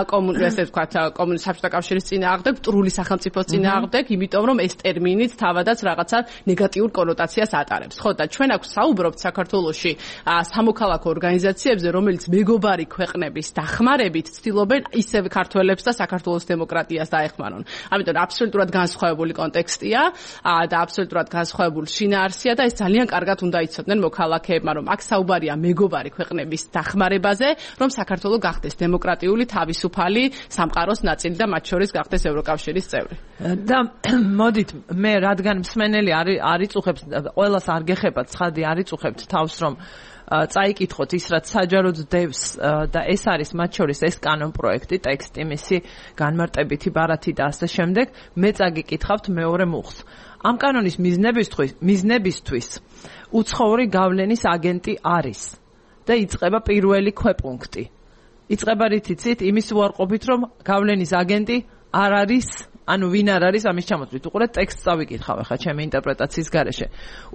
კომუნისტური ესე ვთქვათ კომუნისტური საბჭოთა კავშირის წინააღმდეგ მტრული სახელმწიფოს წინააღმდეგ იმიტომ რომ ეს ტერმინიც თავადაც რაღაცა ნეგატიურ კონოტაციას ატარებს. ხო და ჩვენ აქ საუბრობთ საქართველოში სამოქალაქო ორგანიზაციებზე, რომელიც მეგობარი ქვეყნების დახმარებით ცდილობენ ისევ ქართველებს და საქართველოს დემოკრატიას დაეხმარონ. ამიტომ აბსოლუტურად განსხვავებული კონტექსტია და აბსოლუტურად განსხვავებული შინაარსია და ეს ძალიან კარგად უნდა იცოდნენ მოქალაქეებმა, რომ აქ საუბარია მეგობარი ქვეყნების დახმარებაზე, რომ საქართველო გახდეს დემოკრატიული, თავისუფალი სამყაროს ნაწილი და მათ შორის გახდეს ევროკავშირის წევრი. და მოდით მე რადგან მსმენელი არ იწუხებს ყველას არ გეხება ცხადი არ იწუხებთ თავს რომ წაიკითხოთ ის რაც საჯაროდ დევს და ეს არის მათ შორის ეს კანონ პროექტი ტექსტი მისი განმარტებითი ბარათი და ასე შემდეგ მე წაგიკითხავთ მეორე მუხს ამ კანონის მიზნებისთვის მიზნებისთვის უცხოური გავლენის აგენტი არის და იწყება პირველი ქვეპუნქტი იწყება რითიცით იმის უარყოფით რომ გავლენის აგენტი არ არის ანუ ვინ არ არის ამის ჩამოთვლით უყურეთ ტექსტს წავიკითხავ ახლა ჩემი ინტერპრეტაციის გარეშე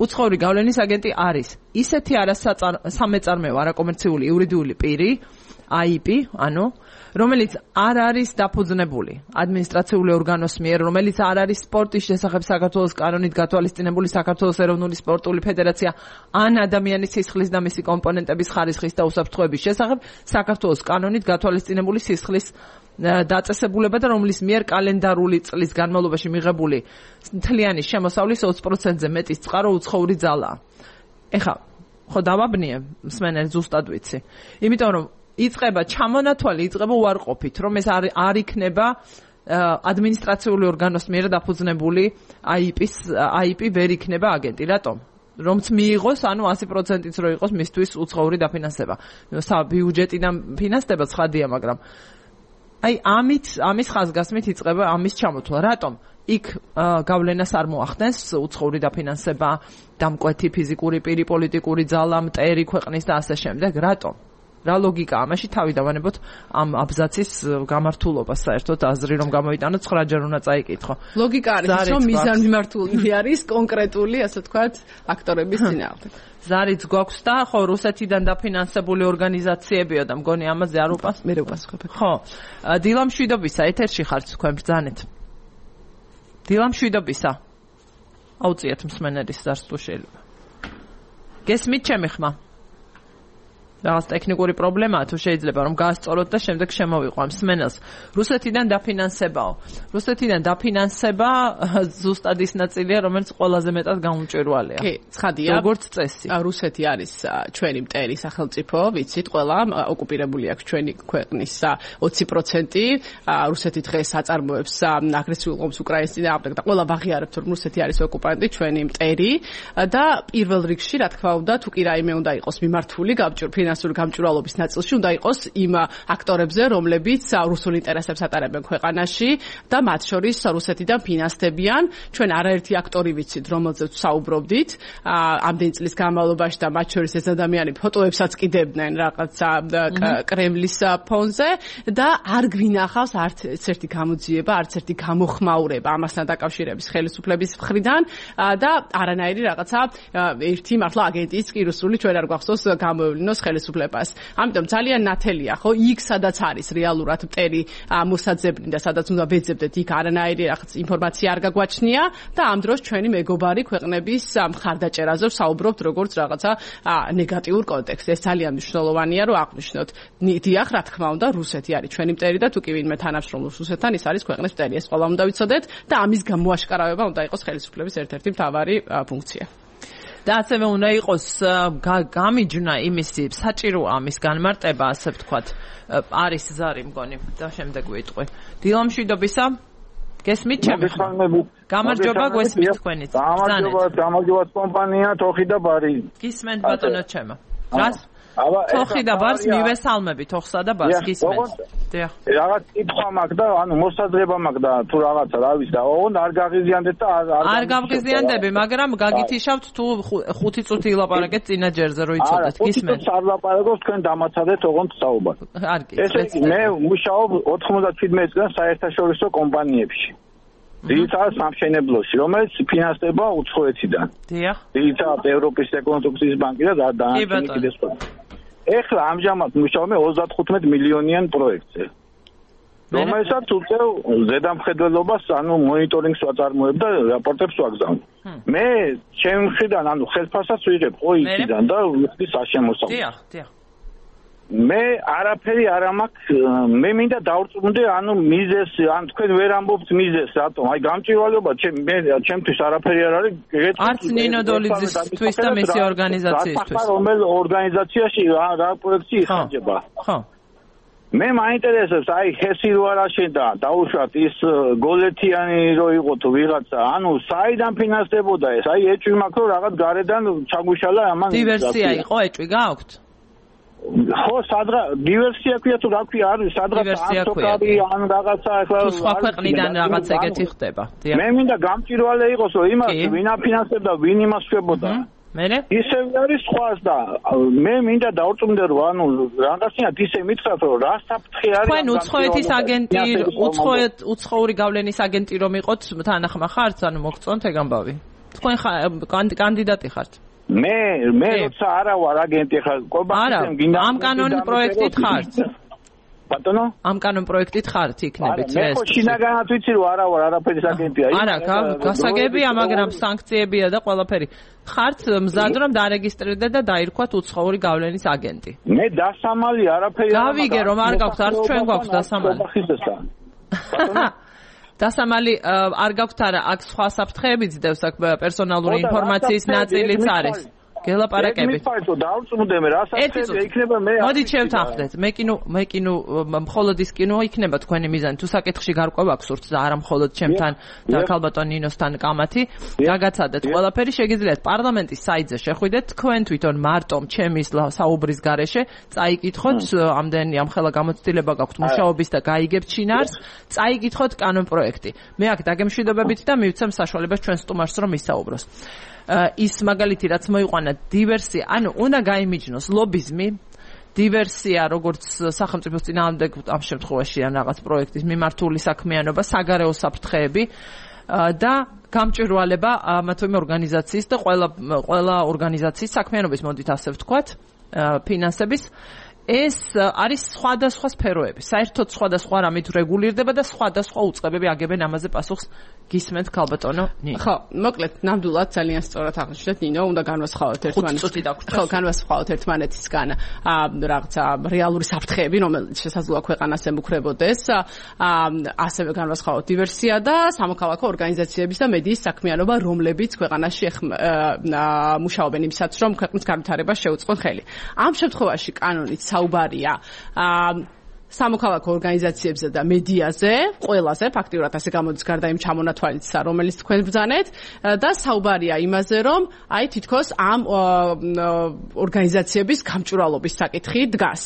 უცხოური გავლენის აგენტი არის ისეთი არასამეწარმეო არაკომერციული იურიდიული პირი აი ай პი ანუ რომელიც არ არის დაფუძნებული ადმინისტრაციული ორგანოს მიერ რომელიც არ არის სპორტის შესახებ საქართველოს კანონით გათვალისწინებული საქართველოს ეროვნული სპორტული ფედერაცია ან ადამიანის სისხლის და მისი კომპონენტების ხარისხის და უსაფრთხოების შესახებ საქართველოს კანონით გათვალისწინებული სისხლის დაწესებულება და რომლის მიერ კალენდარული წლის განმავლობაში მიღებული მთლიანი შემოსავლის ოცი პროცენტზე მეტის წყარო უცხოური ძალაა. ეხა ხო დავაბნიე მსმენელი ზუსტად ვიცი. იმიტომ რომ იწყება ჩამონათვალი, იწყება უარყოფით, რომ ეს არ არ იქნება ადმინისტრაციული ორგანოს მიერ დაფუძნებული აი ай პის აი ай პი ვერ იქნება აგენტი. რატომ? რომც მიიღოს, ანუ ათი პროცენტიც რო იყოს მისთვის უცხოური დაფინანსება. ბიუჯეტიდან ფინანსდება ცხადია, მაგრამ აი ამით ამის ხაზგასმით იწყება ამის ჩამოთვლა. რატომ? იქ გავლენას არ მოახდენს უცხოური დაფინანსება, დამკვეთი ფიზიკური პირი, პოლიტიკური ძალა, მტერი ქვეყნის და ასე შემდეგ. რატომ? რა ლოგიკაა ამაში თავი დავანებოთ ამ აბზაცის გამართულობას საერთოდ აზრი რომ გამოვიტანოთ ცხრაჯერ უნდა წაიკითხო. ლოგიკა არის რომ მიზანმიმართული არის კონკრეტული ასე ვთქვათ აქტორების წინააღმდეგ. ზარიც გვაქვს და ხო რუსეთიდან დაფინანსებული ორგანიზაციებია და მგონი ამაზე არ უპას მე ვპასუხებ. ხო. დილა მშვიდობისა ეთერში ხართ თქვენ ბრძანეთ. დილა მშვიდობისა. აუწიეთ მსმენელის ზარს თუ შეიძლება. გესმით ჩემი ხმა? რაღაც ტექნიკური პრობლემაა თუ შეიძლება რომ გაასწოროთ და შემდეგ შემოვიყვანო მსმენელს. რუსეთიდან დაფინანსებაო. რუსეთიდან დაფინანსება ზუსტად ის ნაწილია, რომელიც ყველაზე მეტად გამომჭვირვალეა. კი, ცხადია. როგორც წესი. რუსეთი არის ჩვენი მტერი სახელმწიფო, ვიცით, ყველა ოკუპირებული აქვს ჩვენი ქვეყნის ოცი პროცენტი. რუსეთი დღეს აწარმოებს აგრესიულ ომს უკრაინის წინააღმდეგ და ყველა ვაღიარებთ, რომ რუსეთი არის ოკუპანტი, ჩვენი მტერი და პირველ რიგში, რა თქმა უნდა, თუ კი რაიმე უნდა იყოს მიმართული გამჭვირვალე ფინანსური გამჭვირვალობის ნაწილში უნდა იყოს იმ აქტორებზე, რომლებიც რუსულ ინტერესებს ატარებენ ქვეყანაში და მათ შორის რუსეთიდან ფინანსდებიან. ჩვენ არაერთი აქტორი ვიცით, რომელზეც საუბრობდით ამდენი წლის განმავლობაში და მათ შორის ეს ადამიანები ფოტოებსაც კიდებდნენ რაღაცა კრემლის ფონზე და არ გვინახავს არც ერთი გამოძიება, არც ერთი გამოხმაურება ამასთან დაკავშირების ხელისუფლების მხრიდან და არანაირი რაღაცა ერთი მართლა აგენტის კი რუსული ჩვენ არ გვახსოვს გამოევლინოს ხელისუფლებას. ამიტომ ძალიან ნათელია, ხო, იქ სადაც არის რეალურად მტერი მოსაძებნი და სადაც უნდა ვეძებდეთ, იქ არანაირი რაღაც ინფორმაცია არ გაგვაჩნია და ამ დროს ჩვენი მეგობარი ქვეყნების მხარდაჭერაზე ვსაუბრობთ როგორც რაღაცა ნეგატიურ კონტექსტს. ეს ძალიან მნიშვნელოვანია, რომ აღვნიშნოთ. დიახ, რა თქმა უნდა, რუსეთი არის ჩვენი მტერი და თუ კი ვინმე თანამშრომლობს რუსეთთან, ის არის ქვეყნის მტერი. ეს ყველა უნდა ვიცოდეთ და ამის გამოაშკარავება უნდა იყოს ხელისუფლების ერთ-ერთი მთავარი ფუნქცია. და ასევე უნდა იყოს გამიჯნა იმისი საჭირო ამის განმარტება, ასე ვთქვათ, არის ზარი მგონი და შემდეგ ვიტყვი. დილა მშვიდობისა. გესმით ჩემი ხმა? გამარჯობა გვესმით თქვენიც. გამარჯობა, გამარჯობა კომპანია თოხი და ბარი. გისმენთ ბატონო ჩემო. რას? თოხი და ბარს მივესალმები, თოხსა და ბარს გისმენთ. დიახ. რაღაც კითხვა მაქვს და ანუ მოსაზრება მაქვს და თუ რაღაცა რა ვიცი და ოღონდ არ გაღიზიანდეთ და არ არ გავღიზიანდები, მაგრამ გაგითიშავთ თუ ხუთი წუთი ილაპარაკეთ წინა ჯერზე რომ იცოდეთ, გისმენთ. არა, არ ლაპარაკობ, თქვენ დამაცადეთ ოღონდ საუბარს. არ კი. ესე მე მუშაობ ოთხმოცდაჩვიდმეტ წელს საერთაშორისო კომპანიებში. ძირითადად სამშენებლოში, რომელიც ფინანსდება უცხოეთიდან. დიახ. ძირითადად ევროპის რეკონსტრუქციის ბანკი და დანარჩენი კიდე სხვა. ეხლა ამჟამად მუშაობ ოცდათხუთმეტ მილიონიან პროექტზე. რომელსაც უწევ ზედამხედველობას, ანუ მონიტორინგს ვაწარმოებ და რაპორტებს ვაგზავნ. მე ჩემი მხრიდან, ანუ ხელფასსაც ვიღებ ყოისიდან და ვიხდი საშემოსავლო. დიახ, დიახ. მე არაფერი არ მაქვს, მე მინდა დავწუნდე, ანუ მიზეს, ან თქვენ ვერ ამბობთ მიზეს, რატომ? აი გამჭირვალეობა მე ჩემთვის არაფერი არ არის. არც ნინო დოლიძისთვის და მისი ორგანიზაციისთვის. რომელ ორგანიზაციაში რა პროექტი იხარჯება? ხო. მე მაინტერესებს, აი ხესი რო არ აშენდა, დაუშვათ ის გოლეთიანი რო იყო თუ ვიღაცა, ანუ საიდან ფინანსდებოდა ეს? აი ეჭვი მაქვს, რომ რაღაც გარედან ჩაგუშალა ამან. დივერსია იყო, ეჭვი გააქვთ? ხო, სადღა დივერსია ქვია თუ რა ქვია, არის სადღაც ანტოკარი ან რაღაცა ახლა სხვა ქვეყნიდან რაღაც ეგეთი ხდება. მე მინდა გამჭირვალე იყოს, რომ იმას ვინ აფინანსებდა, ვინ იმას შვებოდა. მერე? ისევ არის სხვას და მე მინდა დავწუნდე, რომ ანუ რაღაცნაირად ისე მითხრათ, რომ რა საფრთხე არის. თქვენ უცხოეთის აგენტი, უცხოეთ უცხოური გავლენის აგენტი რომ იყოთ, თანახმა ხართ, ანუ მოგწონთ ეგ ამბავი. თქვენ კანდიდატი ხართ? მე მე როცა არა ვარ აგენტი ხარ კომპანიამ გინდა ამ კანონის პროექტით ხართ ბატონო ამ კანონ პროექტით ხართ იქნებით ეს მე ხო შინაგანად ვიცი რომ არა ვარ არაფერის აგენტია არა გასაგებია მაგრამ სანქციებია და ყველაფერი ხართ მზად რომ დარეგისტრირდეთ და დაირქვათ უცხოური გავლენის აგენტი მე დასამალი არაფერი გავიგე რომ არ გაქვთ არც ჩვენ გვაქვს დასამალი დასამალი არ გაქვთ არა აქ სხვა საფრთხეებიც დევს აქ პერსონალური ინფორმაციის ნაწილიც არის გელაპარაკებით. დავწუნდე მე რა საფრთხეა იქნება მე. მოდით შევთანხმდეთ. მე კინო მე კინო მხოლოდ ის კინო იქნება თქვენი მიზანი. თუ საკითხში გარკვევა გსურთ და არა მხოლოდ ჩემთან და ქალბატონ ნინოსთან კამათი, გაგაცადეთ ყველაფერი შეგიძლიათ პარლამენტის საიტზე შეხვიდეთ. თქვენ თვითონ მარტომ ჩემის საუბრის გარეშე წაიკითხოთ ამდენი ამხელა გამოცდილება გაქვთ მუშაობის და გაიგებთ შინაარს, წაიკითხოთ კანონ პროექტი. მე აქ დაგემშვიდობებით და მივცემ საშუალებას ჩვენ სტუმარს რომ ისაუბროს. ის მაგალითი რაც მოიყვანა დივერსია, ანუ უნდა გაიმიჯნოს ლობიზმი დივერსია, როგორც სახელმწიფოს წინააღმდეგ ამ შემთხვევაში ან რაღაც პროექტის მიმართული საქმიანობა, საგარეო საფრთხეები და გამჭვირვალება ამა თუ იმ ორგანიზაციის და ყველა ყველა ორგანიზაციის საქმიანობის მოდით ასე ვთქვათ, ფინანსების ეს არის სხვადასხვა სფეროები. საერთოდ სხვადასხვა რამით რეგულირდება და სხვადასხვა უწყებები აგებენ ამაზე პასუხს. გისმენთ ქალბატონო ნინო. ხო, მოკლედ ნამდვილად ძალიან სწორად აღნიშნეთ ნინო, უნდა განვასხვაოთ ერთმანეთს. ხო, განვასხვაოთ ერთმანეთისგან რაღაცა რეალური საფრთხეები, რომელიც შესაძლოა ქვეყანას ემუქრებოდეს. ასევე განვასხვაოთ დივერსია და სამოქალაქო ორგანიზაციების და მედიის საქმიანობა, რომლებიც ქვეყანაში მუშაობენ იმისათვის, რომ ქვეყნის განვითარებას შეუწყონ ხელი. ამ შემთხვევაში კანონით საუბარია სამოქალაქო ორგანიზაციებზე და მედიაზე, ყველაზე ფაქტიურად ასე გამოდის გარდა იმ ჩამონათვალისისა, რომელიც თქვენ ბრძანეთ და საუბარია იმაზე, რომ აი თითქოს ამ ორგანიზაციების გამჭვირვალობის საკითხი დგას.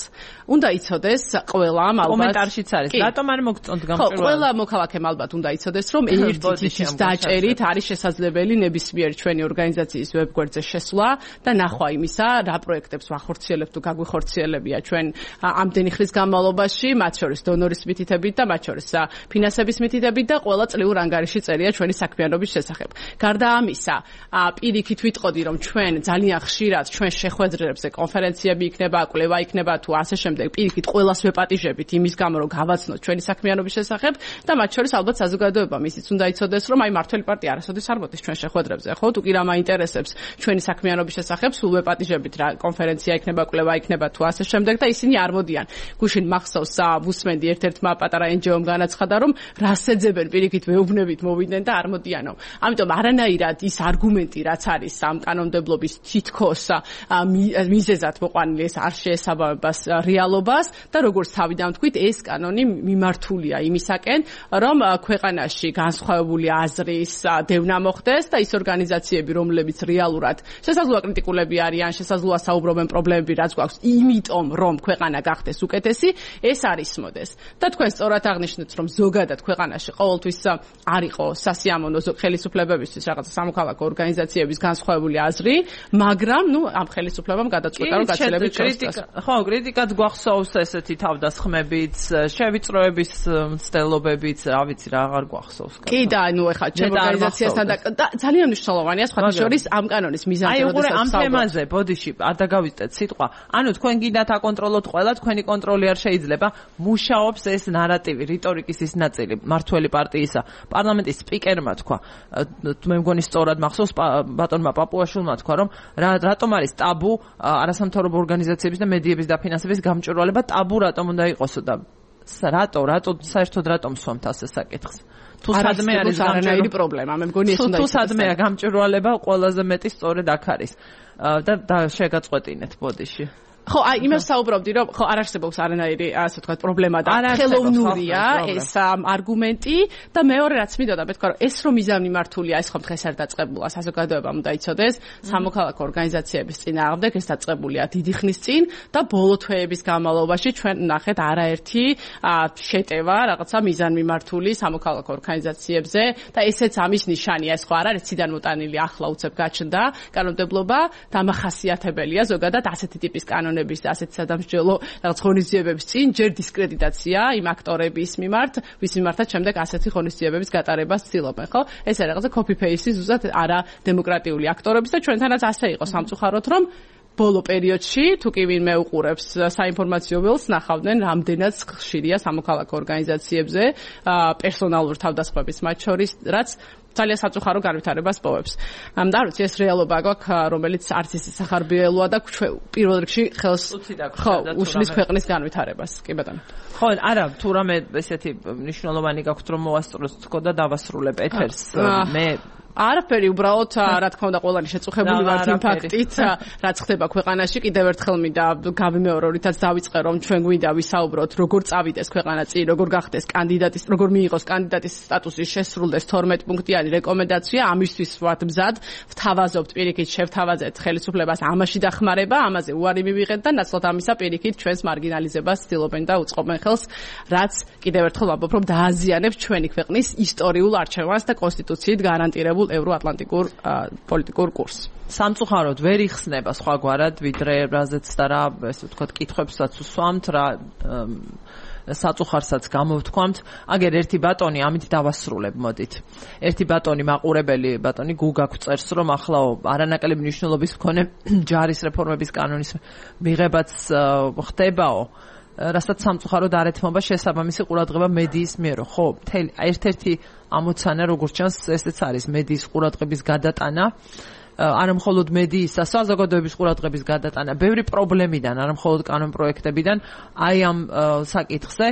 უნდა იცოდეს ყველამ ალბათ კომენტარშიც არის. რატომ არ მოგწონთ გამჭვირვალება? ხო, ყველა მოქალაქემ ალბათ უნდა იცოდეს, რომ ერთი თითის დაჭერით არის შესაძლებელი ნებისმიერ ჩვენი ორგანიზაციის ვებგვერდზე შესვლა და ნახვა იმისა, რა პროექტებს ვახორციელებთ თუ გაგვიხორციელებია ჩვენ ამდენი ხნის განმავლობაში, მათ შორის დონორის მითითებით და მათ შორის ფინანსების მითითებით და ყველა წლიურ ანგარიში წერია ჩვენი საქმიანობის შესახებ. გარდა ამისა, პირიქით ვიტყოდი, რომ ჩვენ ძალიან ხშირად ჩვენ შეხვედრებზე კონფერენციები იქნება, კვლევა იქნება თუ ასე შემდეგ პირიქით ყველას ვეპატიჟებით იმის გამო რომ გავაცნოთ ჩვენი საქმიანობის შესახებ და მათ შორის ალბათ საზოგადოებამ ისიც უნდა იცოდეს რომ აი მართველი პარტია არასოდეს არ მოდის ჩვენ შეხვედრებზე ხო თუ კი რა მაინტერესებს ჩვენი საქმიანობის შესახებ სულ ვეპატიჟებით რა კონფერენცია იქნება კვლევა იქნება თუ ასე შემდეგ და ისინი არ მოდიან გუშინ მახსოვს ვუსმენდი ერთ-ერთმა პატარა ენჯიომ განაცხადა რომ რას ეძებენ პირიქით მეუბნებით მოვიდნენ და არ მოდიანო ამიტომ არანაირად ის არგუმენტი რაც არის ამ კანონმდებლობის თითქოს მიზეზად მოყვანილი ეს არ შეესაბამებას რეალობას და როგორც თავიდან ვთქვით ეს კანონი მიმართულია იმისაკენ რომ ქვეყანაში განსხვავებული აზრის დევნა მოხდეს და ის ორგანიზაციები რომლებიც რეალურად შესაძლოა კრიტიკულები არიან შესაძლოა საუბრობენ პრობლემები რაც გვაქვს იმიტომ რომ ქვეყანა გახდეს უკეთესი ეს არის მოდეს და თქვენ სწორად აღნიშნეთ რომ ზოგადად ქვეყანაში ყოველთვის არ იყო სასიამოვნო ხელისუფლებებისთვის რაღაცა სამოქალაქო ორგანიზაციების განსხვავებული აზრი მაგრამ ნუ ამ ხელისუფლებამ გადაწყვიტა რომ გაცილებით შეწყვეტა ხო კრიტიკაც გვახსოვს ესეთი თავდასხმებიც შევიწროების მცდელობებიც რა ვიცი რა აღარ გვახსოვს კი და ნუ ეხლა ჩემ ორგანიზაციასთან და ძალიან მნიშვნელოვანია სხვა შორის ამ კანონის მიზანზე როდესაც აი ამ თემაზე ბოდიში არ დაგავიწყეთ სიტყვა ანუ თქვენ გინდათ აკონტროლოთ ყველა თქვენი კონტროლი არ შეიძლება მუშაობს ეს ნარატივი რიტორიკის ის ნაწილი მართველი პარტიისა პარლამენტის სპიკერმა თქვა მე მგონი სწორად მახსოვს ბატონმა პაპუაშვილმა თქვა რომ რატომ არის ტაბუ არასამთავრობო ორგანიზაციების და მედიების დაფინანსების გამჭვირვალება ტაბუ რატომ უნდა იყოსო და რატო რატო საერთოდ რატომ სვამთ ასე საკითხს თუ სადმე არის არანაირი პრობლემა მე მგონი ეს უნდა თუ სადმეა გამჭვირვალება ყველაზე მეტი სწორედ აქ არის და შეგაწყვეტინეთ ბოდიში ხო, აი იმას საუბრობდი, რომ ხო არ არსებობს არანაირი, ასე ვთქვათ, პრობლემა და ხელოვნურია ეს არგუმენტი და მეორე რაც მინდოდა მეთქვა, რომ ეს რომ მიზანმიმართულია, ეს ხომ დღეს არ დაწყებულა, საზოგადოებამ უნდა იცოდეს, სამოქალაქო ორგანიზაციების წინააღმდეგ ეს დაწყებულია დიდი ხნის წინ და ბოლო თვეების განმავლობაში ჩვენ ნახეთ არაერთი შეტევა რაღაცა მიზანმიმართული სამოქალაქო ორგანიზაციებზე და ესეც ამის ნიშანია, ეს ხო არ არის ციდან მოტანილი ახლა უცებ გაჩნდა კანონმდებლობა დამახასიათებელია ზოგადად ასეთი ტიპის კანონი და ასეთ სადამსჯელო რაღაც ღონისძიებების წინ ჯერ დისკრედიტაცია იმ აქტორების მიმართ, ვის მიმართაც შემდეგ ასეთი ღონისძიებების გატარებას ცდილობენ, ხო? ეს არის რაღაცა copy paste ზუსტად არა დემოკრატიული აქტორების და ჩვენთანაც ასე იყო სამწუხაროდ რომ ბოლო პერიოდში თუ კი ვინმე უყურებს საინფორმაციო ველს ნახავდნენ რამდენად ხშირია სამოქალაქო ორგანიზაციებზე პერსონალურ თავდასხმების მათ შორის რაც ძალიან საწუხარო განვითარებას პოვებს. და არ ვიცი ეს რეალობა გვაქვს რომელიც არც ისე სახარბიელოა და პირველ რიგში ხელს ხო უშლის ქვეყნის განვითარებას. კი ბატონო. ხო, არა, თუ რამე ესეთი მნიშვნელოვანი გაქვთ რომ მოვასწროთ თქო და დავასრულებ ეთერს მე არაფერი უბრალოდ რა თქმა უნდა ყველანი შეწუხებული ვართ იმ ფაქტით რაც ხდება ქვეყანაში კიდევ ერთხელ მინდა გავიმეორო რითაც დავიწყე რომ ჩვენ გვინდა ვისაუბროთ როგორ წავიდეს ქვეყანა წინ როგორ გახდეს კანდიდატის როგორ მიიღოს კანდიდატის სტატუსი შესრულდეს თორმეტ პუნქტიანი რეკომენდაცია ამისთვის ვართ მზად ვთავაზობთ პირიქით შევთავაზეთ ხელისუფლებას ამაში დახმარება ამაზე უარი მივიღეთ და ნაცვლად ამისა პირიქით ჩვენს მარგინალიზებას ცდილობენ და უწყობენ ხელს რაც კიდევ ერთხელ ვამბობ რომ დააზიანებს ჩვენი ქვეყნის ისტორიულ არჩევანს და კონსტიტუციით გარანტირებულ ევროატლანტიკურ პოლიტიკურ კურსს. სამწუხაროდ ვერ იხსნება სხვაგვარად, ვიდრე რაზეც და რა, ესე ვთქვათ, კითხვებსაც უსვამთ, რა საწუხარსაც გამოვთქვამთ. აგერ ერთი ბატონი ამით დავასრულებ, მოდით. ერთი ბატონი მაყურებელი ბატონი გუგა გვწერს, რომ ახლა არანაკლები მნიშვნელობის მქონე ჯარის რეფორმების კანონის მიღებაც ხდებაო. რასაც სამწუხაროდ არ ეთმობა შესაბამისი ყურადღება მედიის მიერ, ხო? მთელი ერთ-ერთი ამოცანა, როგორც ჩანს, ესეც არის მედიის ყურადღების გადატანა. არა მხოლოდ მედიისა, საზოგადოების ყურადღების გადატანა, ბევრი პრობლემიდან, არა მხოლოდ კანონ პროექტებიდან, აი ამ საკითხზე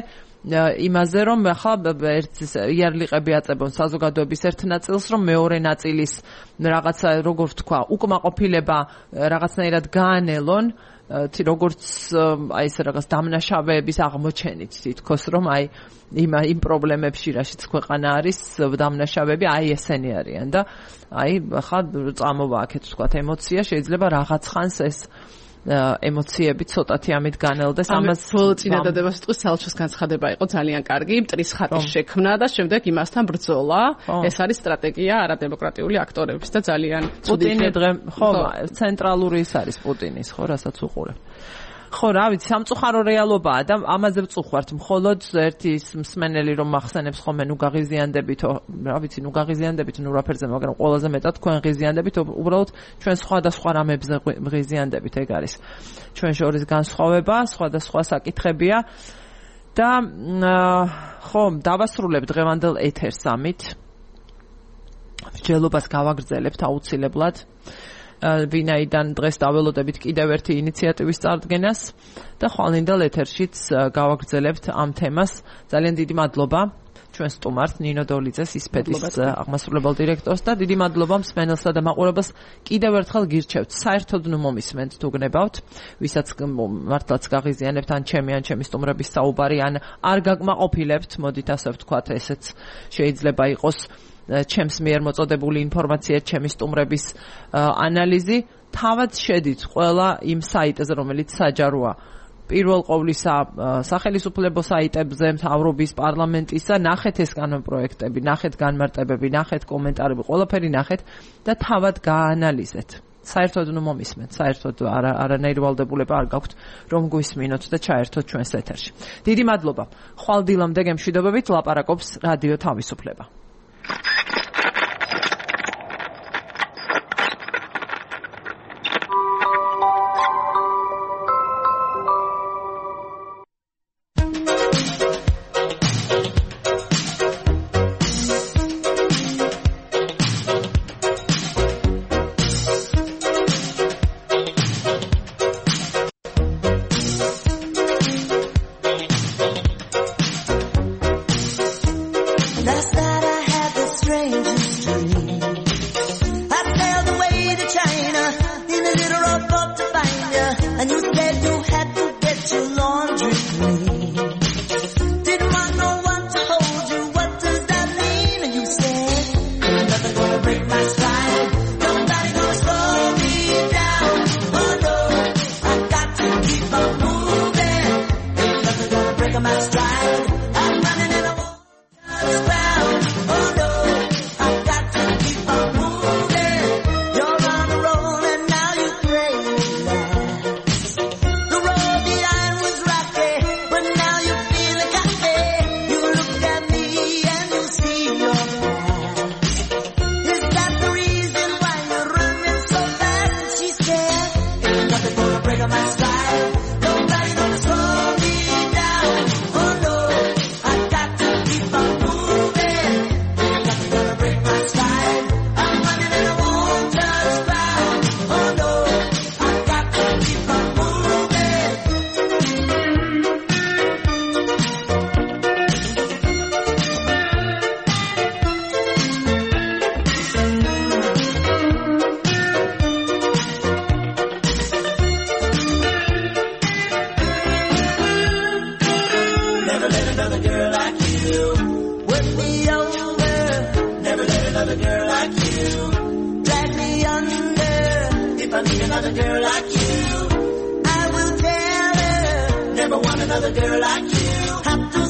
იმაზე, რომ ახლა ერთ იარლიყები აწებონ საზოგადოების ერთ ნაწილს, რომ მეორე ნაწილის რაღაცა, როგორ ვთქვა, უკმაყოფილება რაღაცნაირად გაანელონ, როგორც აი ეს რაღაც დამნაშავეების აღმოჩენით თითქოს, რომ აი იმ იმ პრობლემებში, რაშიც ქვეყანა არის, დამნაშავეები აი ესენი არიან და აი ახლა წამოვა აქეთ ვთქვათ ემოცია, შეიძლება რაღაც ხანს ეს ემოციები ცოტათი ამით განელდეს. ამას წინადადება სიტყვის საელჩოს განცხადება იყო ძალიან კარგი, მტრის ხატის შექმნა და შემდეგ იმასთან ბრძოლა. ეს არის სტრატეგია არადემოკრატიული აქტორების და ძალიან პუტინი დღე ხო, ცენტრალური ის არის პუტინის, ხო, რასაც უყურებ. ხო, რა ვიცი, სამწუხარო რეალობაა და ამაზე ვწუხართ. მხოლოდ ერთი მსმენელი რომ მახსენებს ხოლმე ნუ გაღიზიანდებითო, რა ვიცი, ნუ გაღიზიანდებით ნუ რაფერზე, მაგრამ ყველაზე მეტად თქვენ ღიზიანდებით, უბრალოდ ჩვენ სხვადასხვა რამებზე ღიზიანდებით, ეგ არის ჩვენ შორის განსხვავება, სხვადასხვა საკითხებია და ხო, დავასრულებ დღევანდელ ეთერს ამით. მსჯელობას გავაგრძელებთ აუცილებლად. ვინაიდან დღეს დაველოდებით კიდევ ერთი ინიციატივის წარდგენას და ხვალინდელ ეთერშიც გავაგრძელებთ ამ თემას. ძალიან დიდი მადლობა ჩვენ სტუმართ ნინო დოლიძეს, ისპედის აღმასრულებელ დირექტორს და დიდი მადლობა მსმენელსა და მაყურებელს კიდევ ერთხელ გირჩევთ. საერთოდ ნუ მომისმენთ თუ გნებავთ, ვისაც მართლაც გაღიზიანებთ ან ჩემი ან ჩემი სტუმრების საუბარი ან არ გაგმაყოფილებთ, მოდით ასე ვთქვათ, ესეც შეიძლება იყოს ჩემს მიერ მოწოდებული ინფორმაცია, ჩემი სტუმრების ანალიზი, თავად შედით ყველა იმ საიტზე, რომელიც საჯაროა. პირველ ყოვლისა სახელმწიფო საიტებზე, მთავრობის, პარლამენტისა, ნახეთ ეს კანონპროექტები, ნახეთ განმარტებები, ნახეთ კომენტარები, ყველაფერი ნახეთ და თავად გაანალიზეთ. საერთოდ ნუ მომისმენთ, საერთოდ არანაირი ვალდებულება არ გაქვთ, რომ გვისმინოთ და ჩაერთოთ ჩვენს ეთერში. დიდი მადლობა. ხვალდილამდე გემშვიდობებით ლაპარაკობს რადიო თავისუფლება. Never want another girl like you. Have to